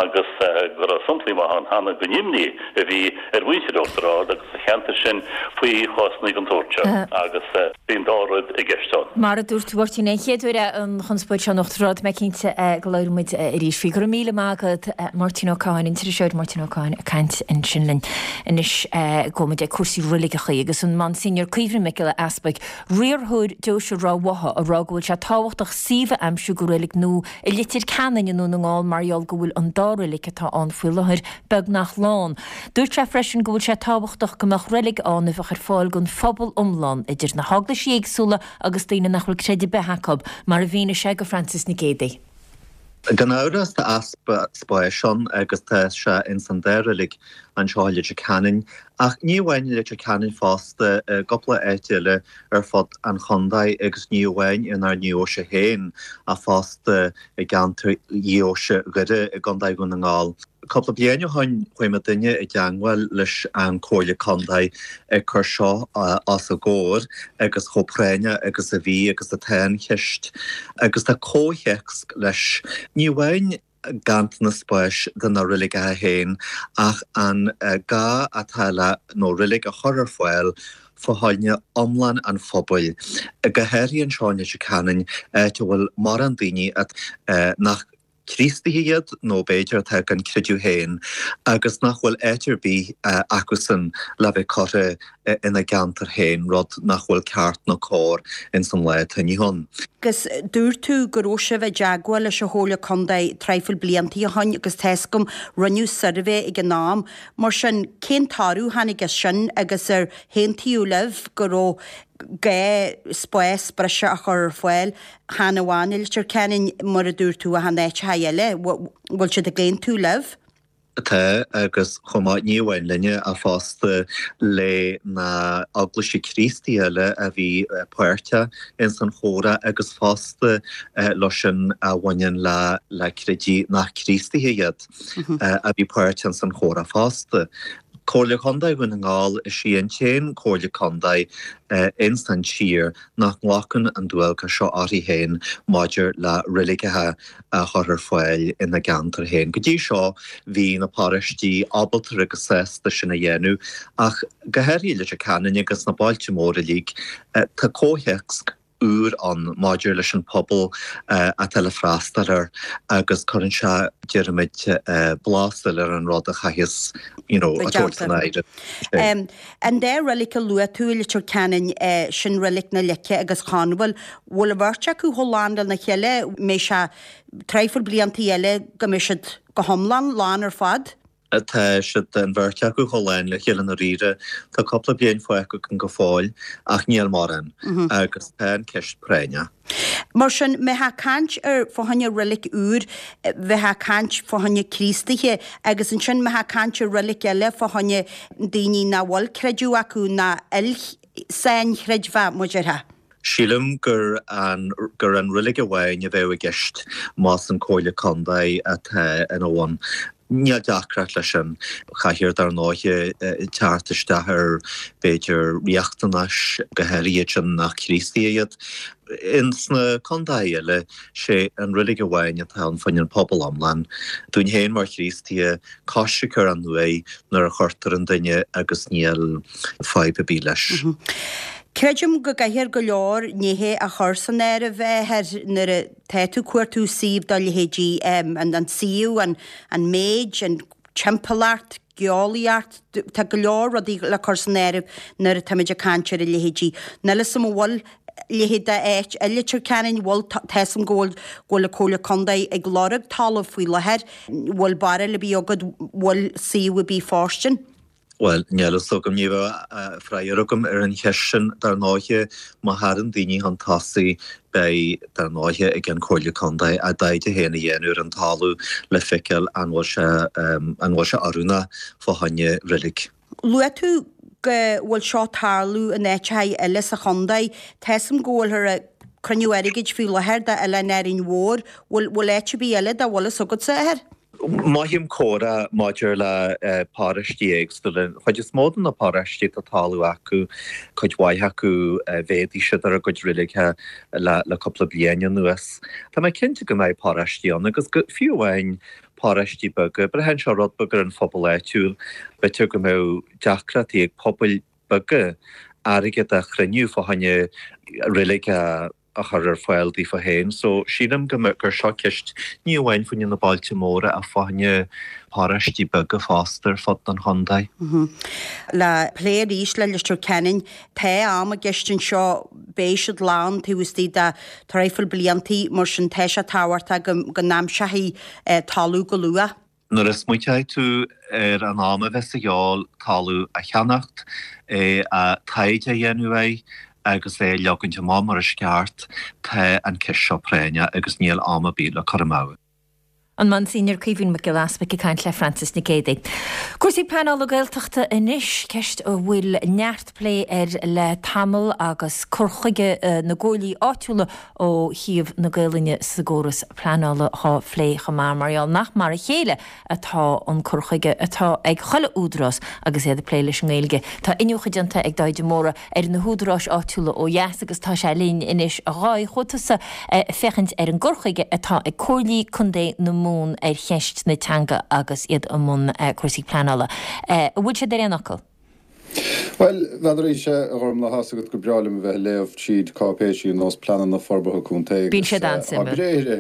agus go raibh samplaí maithe ann cheana den imní a bhí ar mhuintir Uachtar Ard agus an cheantair sin faoi chásanna den tsórt seo agus bhí an dá rud i gceist ann. Mar a dúirt tú, a Mháirtín, an chéad uair é an chonspóid seo in Uachtar Ard, mé cinnte go labhróidh muid arís faoi. Go raibh míle maith agat, Máirtín Ó Cadhain, an t-iriseoir Máirtín Ó Cadhain ag caint ansin linn. Anois gabhfaidh muid ag cúrsaí reiligeacha agus an Monsignor Caoimhín Mac Giolla Easpaig, riarthóir deoise Ráth Bhotha, ag rá go bhfuil sé tábhachtach suíomh a aimsiú go reilig nua i Leitir Ceanainn i nDún na nGall mar gheall go bhfuil an dá reilig atá ann faoi láthair beagnach lán. Dúirt sé freisin go bhfuil sé tábhachtach go mbeadh reilig ann a bheadh ar fáil don phobal iomlán, idir na heaglaisí éagsúla agus daoine nach bhfuil creideamh ar bith acu, mar a mhínigh sé go Frances Nic Géadaigh. Gan amhras tá easpa spáis ann agus tá sé ins an dá reilig anseo i Leitir Ceanainn, ach ní amháin i Leitir Ceanainn fosta, i gcúpla áit eile ar fud an chontae agus ní amháin inár ndeoise féin ach fosta i gceantar dheoise Dhoire i gContae Dhún na nGall. Cúpla bliain ó shoin chuaigh muidinne i dteangmháil leis an Comhairle Contae ag cur seo os a gcomhair agus chomh práinneach agus a bhí agus atá an cheist agus tá comhthéacs leis, ní amháin ganntanas spáis do na reiligeacha féin ach an gá atá le nó reilig a chur ar fáil fá choinne iomlán an phobail, go háirithe anseo i Leitir Ceanainn, áit a bhfuil mórán daoine nach Críostaithe iad nó b'fhéidir atá gan creideamh féin agus nach bhfuil áit ar bith acusan le bheith curtha ina gceantar féin, rud nach bhfuil ceart nó cóir ins an lá atá inniu ann. Agus dúirt tú go raibh sibh i dteagmháil leis an Chomhairle Contae traidhfil bliantaí ó shoin agus tá's agam rinneadh suirbhé ag an am. Mar sin, cén toradh a tháinig as sin agus ar haontaíodh libh go raibh gá spás breise a chur ar fáil, chan amháin i Leitir Ceanainn, mar a dúirt tú, ach in áiteacha eile. Bhfuil siad ag aontú libh? Tá, agus chomh maith, ní amháin linne ach fosta le na eaglaisí Críostaí eile a bhí páirteach ins an chomhrá agus fosta leo sin a bhaineann le le creidimh nach Críostaithe iad a bhí páirteach ins an chomhrá fosta. Comhairle Contae Dhún na nGall, is í an t-aon Chomhairle Contae ins an tír nach nglacann an dualgas seo uirthi féin maidir le reiligeacha a chur ar fáil ina gceantar féin. Go dtí seo bhí na paróistí ábalta agus sásta sin a dhéanamh ach go háirithe i Leitir Ceanainn agus sna bailte móra uilig tá comhthéacs úr ann maidir leis an pobal atá le freastal air agus cuireann sé, déarfaimid, blas eile ar an rud a chaitheas you know a thabhairt san áireamh. An dá reilig a luaigh tú i Leitir Ceanainn, sin Reilig na Leice agus Chonbhail, bhfuil an bheirt acu chomh lán lena chéile, mbeidh sé traidhfil bliantaí eile go mbeidh siad go hiomlán lán ar fad? Tá siad, an bheirt acu, chomh lán le chéile i ndáiríre. Tá cúpla bliain fágtha againn go fóill, ach níl mórán, agus tá an ceist práinneach. Mar sin, mbeifeá ag caint ar fá choinne reilig úr, bheifeá ag caint fá choinne Críostaithe, agus ansin mbeifeá ag caint ar reilig eile fá choinne daoine nach bhfuil creideamh acu, ná il-sainchreidmheach, mar a déarfá. Sílim gur an gur an reilig amháin a bheadh i gceist más an Comhairle Contae atá ina bhun. Níl deacracht leis sin. Caithfear dar ndóighe teacht isteach ar b'fhéidir riachtanais, go háirithe iad sin nach Críostaithe iad. Ins na contaetha eile, sé an reilig amháin atá ann fá choinne an pobal iomlán. Dúinn féin mar Chríostaithe, coisricthe ar an uaigh nuair a chuirtear an duine agus níl fadhb ar bith leis. Creidim go gcaithfear go leor nithe a chur san áireamh a nuair atá tú ag cuartú suíomh dá leithéidí, an suíomh, an an méid, an timpeallacht, geolaíocht, tá go leor rudaí le cur san áireamh nuair atáimid ag caint ar a leithéidí. Níl 'fhios a'm an bhfuil leithéid d'áit i Leitir Ceanainn, bhfuil, tá 'fhios a'm go bhfuil go bhfuil an Comhairle Contae ag lorg talamh faoi láthair, bhfuil barúil ar bith agat, bhfuil suíomh ar bith fóirstean? Bhuel, níl fhios agam, ní bheadh freagra agam ar an cheist sin. Dar ndóighe, má thagann daoine chun tosaigh, beidh, dar ndóighe, ag an Chomhairle Contae a dtaighde féin a dhéanamh ar an talamh le feiceáil an bhfuil sé, an bhfuil sé oiriúnach fá choinne reilig. Luaigh tú go bhfuil seo ag tarlú in áiteacha eile sa chontae. Tá 'fhios a'm go bhfuilthear ag cruinniú airgid faoi láthair do Oileán Árainn Mhór. Bhfuil, bhfuil áit ar bith eile dá bhfuil fhios agatsa, a Athair? Mothaím comhrá maidir le paróistí éagsúla. An chuid is mó de na paróistí atá talamh acu, cuid mhaith acu mhéadaigh siad ar a gcuid reiligthe le cúpla bliain anuas. Tá mé cinnte go mbeidh paróistí ann agus go fiú amháin paróistí beaga, braitheann sé rud beag ar an phobal áitiúil. B'fhéidir go mbeadh deacrachtaí ag pobail beaga airgead a chruinniú fá choinne reilig a a chur ar fáil daofa féin. So, sílim go mbeadh, gur seo ceist ní amháin fá choinne na bailte móra ach fá choinne paróistí beaga fosta ar fud an chontae. Le plé arís le Leitir Ceanainn, tá am i gceist anseo, beidh siad lán taobh istigh de traidhfil bliantaí, mar sin tá sé tábhachtach go go n-aimseofaí talamh go luath. Nuair a smaointeoidh tú ar an am a bheas a dhíobháil talamh a cheannacht, é a taighde a dhéanamh air agus é a leagaint amach mar is ceart, tá an ceist seo práinneach agus níl am ar bith le cur amú. An Monsignor Caoimhín Mac Giolla Easpaig ag caint le Frances Nic Géadaigh. Cúrsaí pleanála Gaeltachta anois, ceist a bhfuil neart plé air le tamall agus cur chuige na gcomhairlí áitiúla ó thaobh na Gaelainne sa gcóras pleanála dhá phlé chomh maith, mar gheall nach mar a chéile atá an cur chuige atá ag chuile údarás agus iad ag plé leis an nGaeilge. Tá iniúchadh déanta ag Dáithí de Mórdha ar na húdaráis áitiúla ó dheas agus tá sé linn anois. A Dháithí, chuaigh tusa féachaint ar an gcur chuige atá ag Comhairlí Contae na Mumhan ar cheist na teanga agus iad i mbun cúrsaí pleanála. An bhfuil siad ar aon fhocal? Bhuel, n'fheadar, a Ghormfhlaith, tá's agat gur breá liom a bheith ag léamh tríd cáipéisí ar nós pleananna forbartha contae Bíonn agus siad tá an-suimiúil. bréithre,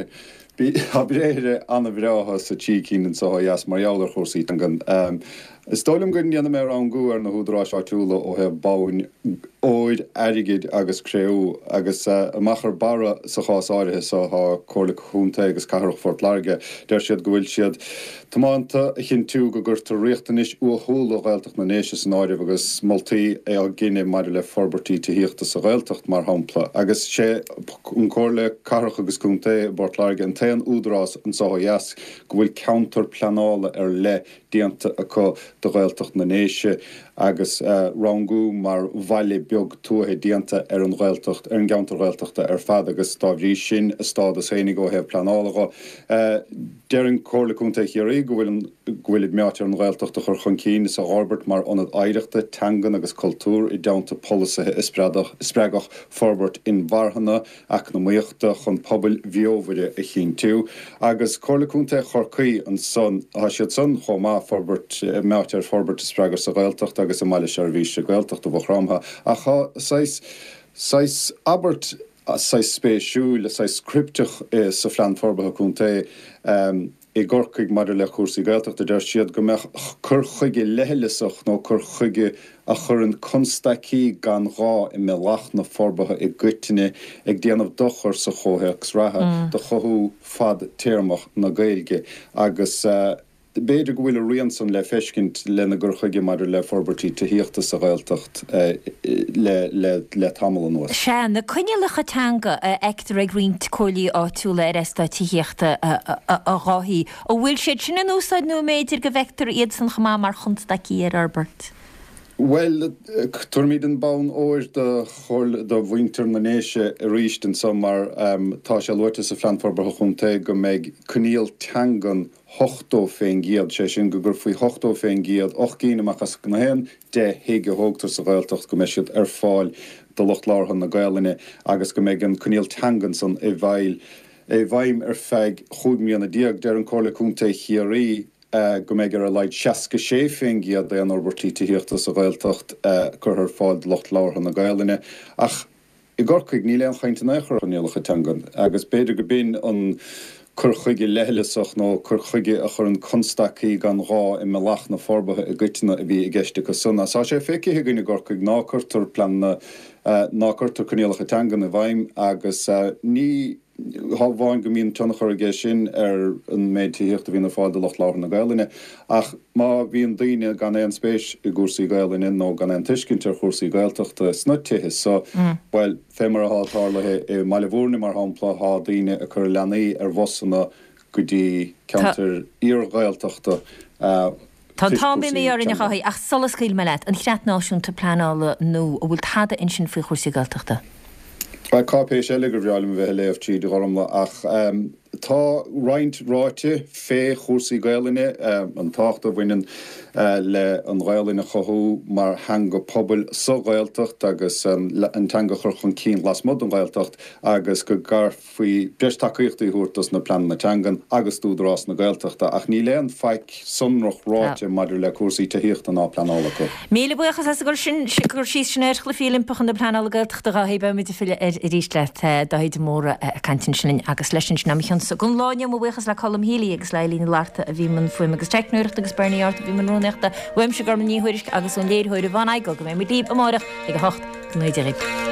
tá bréithre an-bhreátha sa trí cinn anseo ó dheas mar gheall ar chúrsaí teangan. Is dóigh liom go ndéanfaidh mé rangú ar na húdaráis áitiúla ó thaobh bonn óir, airgid agus cré-umha agus amach ar barra sa chás áirithe seo tá Comhairle Contae agus Cathrach Phort Láirge. Deir siad go bhfuil siad tiomanta a chinntiú go gcuirtear riachtanais uathúla Ghaeltacht na nDéise san áireamh agus moltaí á gcinneadh maidir le forbairtí tithíochta sa Ghaeltacht, mar shampla, agus sé an Comhairle Cathrach agus Contae i bPort Láirge an t-aon údarás anseo ó dheas go bhfuil ceantar pleanála ar leith déanta acu do Ghaeltacht na nDéise agus rangú mar bhaile beag tuaithe déanta ar an Ghaeltacht, ar an gceantar Ghaeltachta ar fad agus dá bhrí sin a stádas fhéinig ó thaobh pleanála dho. Deireann Comhairle Contae Chiarraí go bhfuil an go bhfuilid meáite ar an Ghaeltacht a chur chun cinn is a dh'fhorbairt mar ionad oidhreachta, teangan agus cultúir i dteannta polasaithe a spreagfadh forbairt inmharthana eacnamaíochta chun pobail bheomhaire a chinntiú. Agus Comhairle Contae Chorcaí ansan, tá siad san chomh maith, forbairt, meáite ar forbairt a spreagadh sa Ghaeltacht agus i mBaile Seirbhíse Gaeltachta Mhaigh Chromtha. Ach tá saghas, saghas abairt saghas spéisiúil, saghas cripteach sa Phlean Forbartha Contae i gCorcaigh maidir le cúrsaí Gaeltachta. Deir siad go mbeadh cur chuige leithleasach nó cur chuige a chuireann constaicí gan ghá i mbealach na forbartha i gcoitinne ag déanamh dochar sa chomhthéacs reatha do chothú fadtéarmach na Gaeilge agus B'fhéidir go bhfuil a rian san le feiscint lena gcur chuige maidir le forbairtí tithíochta sa Ghaeltacht le tamall anuas. Sea, na coinníollacha teanga a fheictear ag roinnt comhairlí áitiúla ar eastáit tithíochta, a Dháithí, an bhfuil siad sin in úsáid nó an mb'fhéidir go bhfeictear iad san chomh maith mar chonstaicí ar fhorbairt? Bhuel, tabharfaimid an bonn óir do do mhuintir na nDéise arís anso mar tá sé luaite sa Phlean Forbartha Chontae go mbeidh coinníoll teangan ochtó fén gcéad, sé sin go gur faoi ochtó fén gcéad, ocht gcinn amach as gach aon deich thigh a thógtar sa Ghaeltacht go mbeidh siad ar fáil do lucht labhartha na Gaelainne agus go mbeidh an coinníoll teangan san i bhfeighil i bhfeidhm ar feadh chúig mbliana déag. Deireann Comhairle Contae Chiarraí. go mbeidh ar a laghad seasca sé faoin gcéad d'aon fhorbairtí tithíochta sa Ghaeltacht curtha ar fáil do lucht labhartha na Gaelainne. Ach i gCorcaigh níl aon chaint in aon chor ar choinníollacha teangan agus b'fhéidir go b'in an cur chuige leithleasach nó cur chuige a chuireann constaicí gan ghá i mbealach na forbartha i gcoitinne a bhí i gceist acu san. Tá sé feicthe againn i gCorcaigh ná cuirtear pleananna, ná cuirtear coinníollacha teangan i bhfeidhm agus ní hamháin go mbíonn tionchar aige sin ar an méid tithíochta a bhíonn ar fáil do lucht labhartha na Gaelainne, ach má bhíonn daoine gan aon spéis i gcúrsaí Gaelainne nó gan aon tuiscint ar chúrsaí Gaeltachta sna tithe so, bhuel, fé mar atá tarlaithe i mBaile Bhúirne, mar shampla, thá daoine ag cur a leanaí ar bhusanna go dtí ceantair iar-Ghaeltachta. Tá an t-am imithe orainn a Dháithí, ach sula scaoilfidh mé leat, an Creat Náisiúnta Pleanála nua, an bhfuil tada ansin faoi chúrsaí Gaeltachta? Bhuel, cáipéis eile gur bhreá liom a bheith ag léamh tríd, a Ghormlaith, ach tá roinnt ráite fé chúrsaí Gaelainne, an tábhacht a bhaineann le an Ghaelainn a chothú mar theanga pobail sa Ghaeltacht agus an teanga a chur chun cinn lasmuigh den Ghaeltacht agus go gcaithfí breis tacaíochtaí a thabhairt dos na pleananna teangan agus d'Údarás na Gaeltachta ach níl aon faic sonrach ráite maidir le cúrsaí tithíochta ná pleanála acu. Míle buíochas as an gcur síos sin ar Chluichí Oilimpeacha na Pleanála Gaeltachta a Dháithí. Beidh muid ag filleadh air arís leat. Dáithí de Mórdha ag caint ansin linn agus leis sin sin é mo chionsa don lá inniu. Mo bhuíochas le Colm Healy agus le Eileen Ní Fhlatharta a bhí i mbun fuaime agus teicneoireachta agus Bernie Arthur a bhí i mbun rúnaíochta. Uaimse Gormlaith Ní Thuairisg agus ón léiritheoir Yvonne Igoe go mbeidh muid libh amárach ag a hocht. Go ngnóthaí Dia dhaoibh.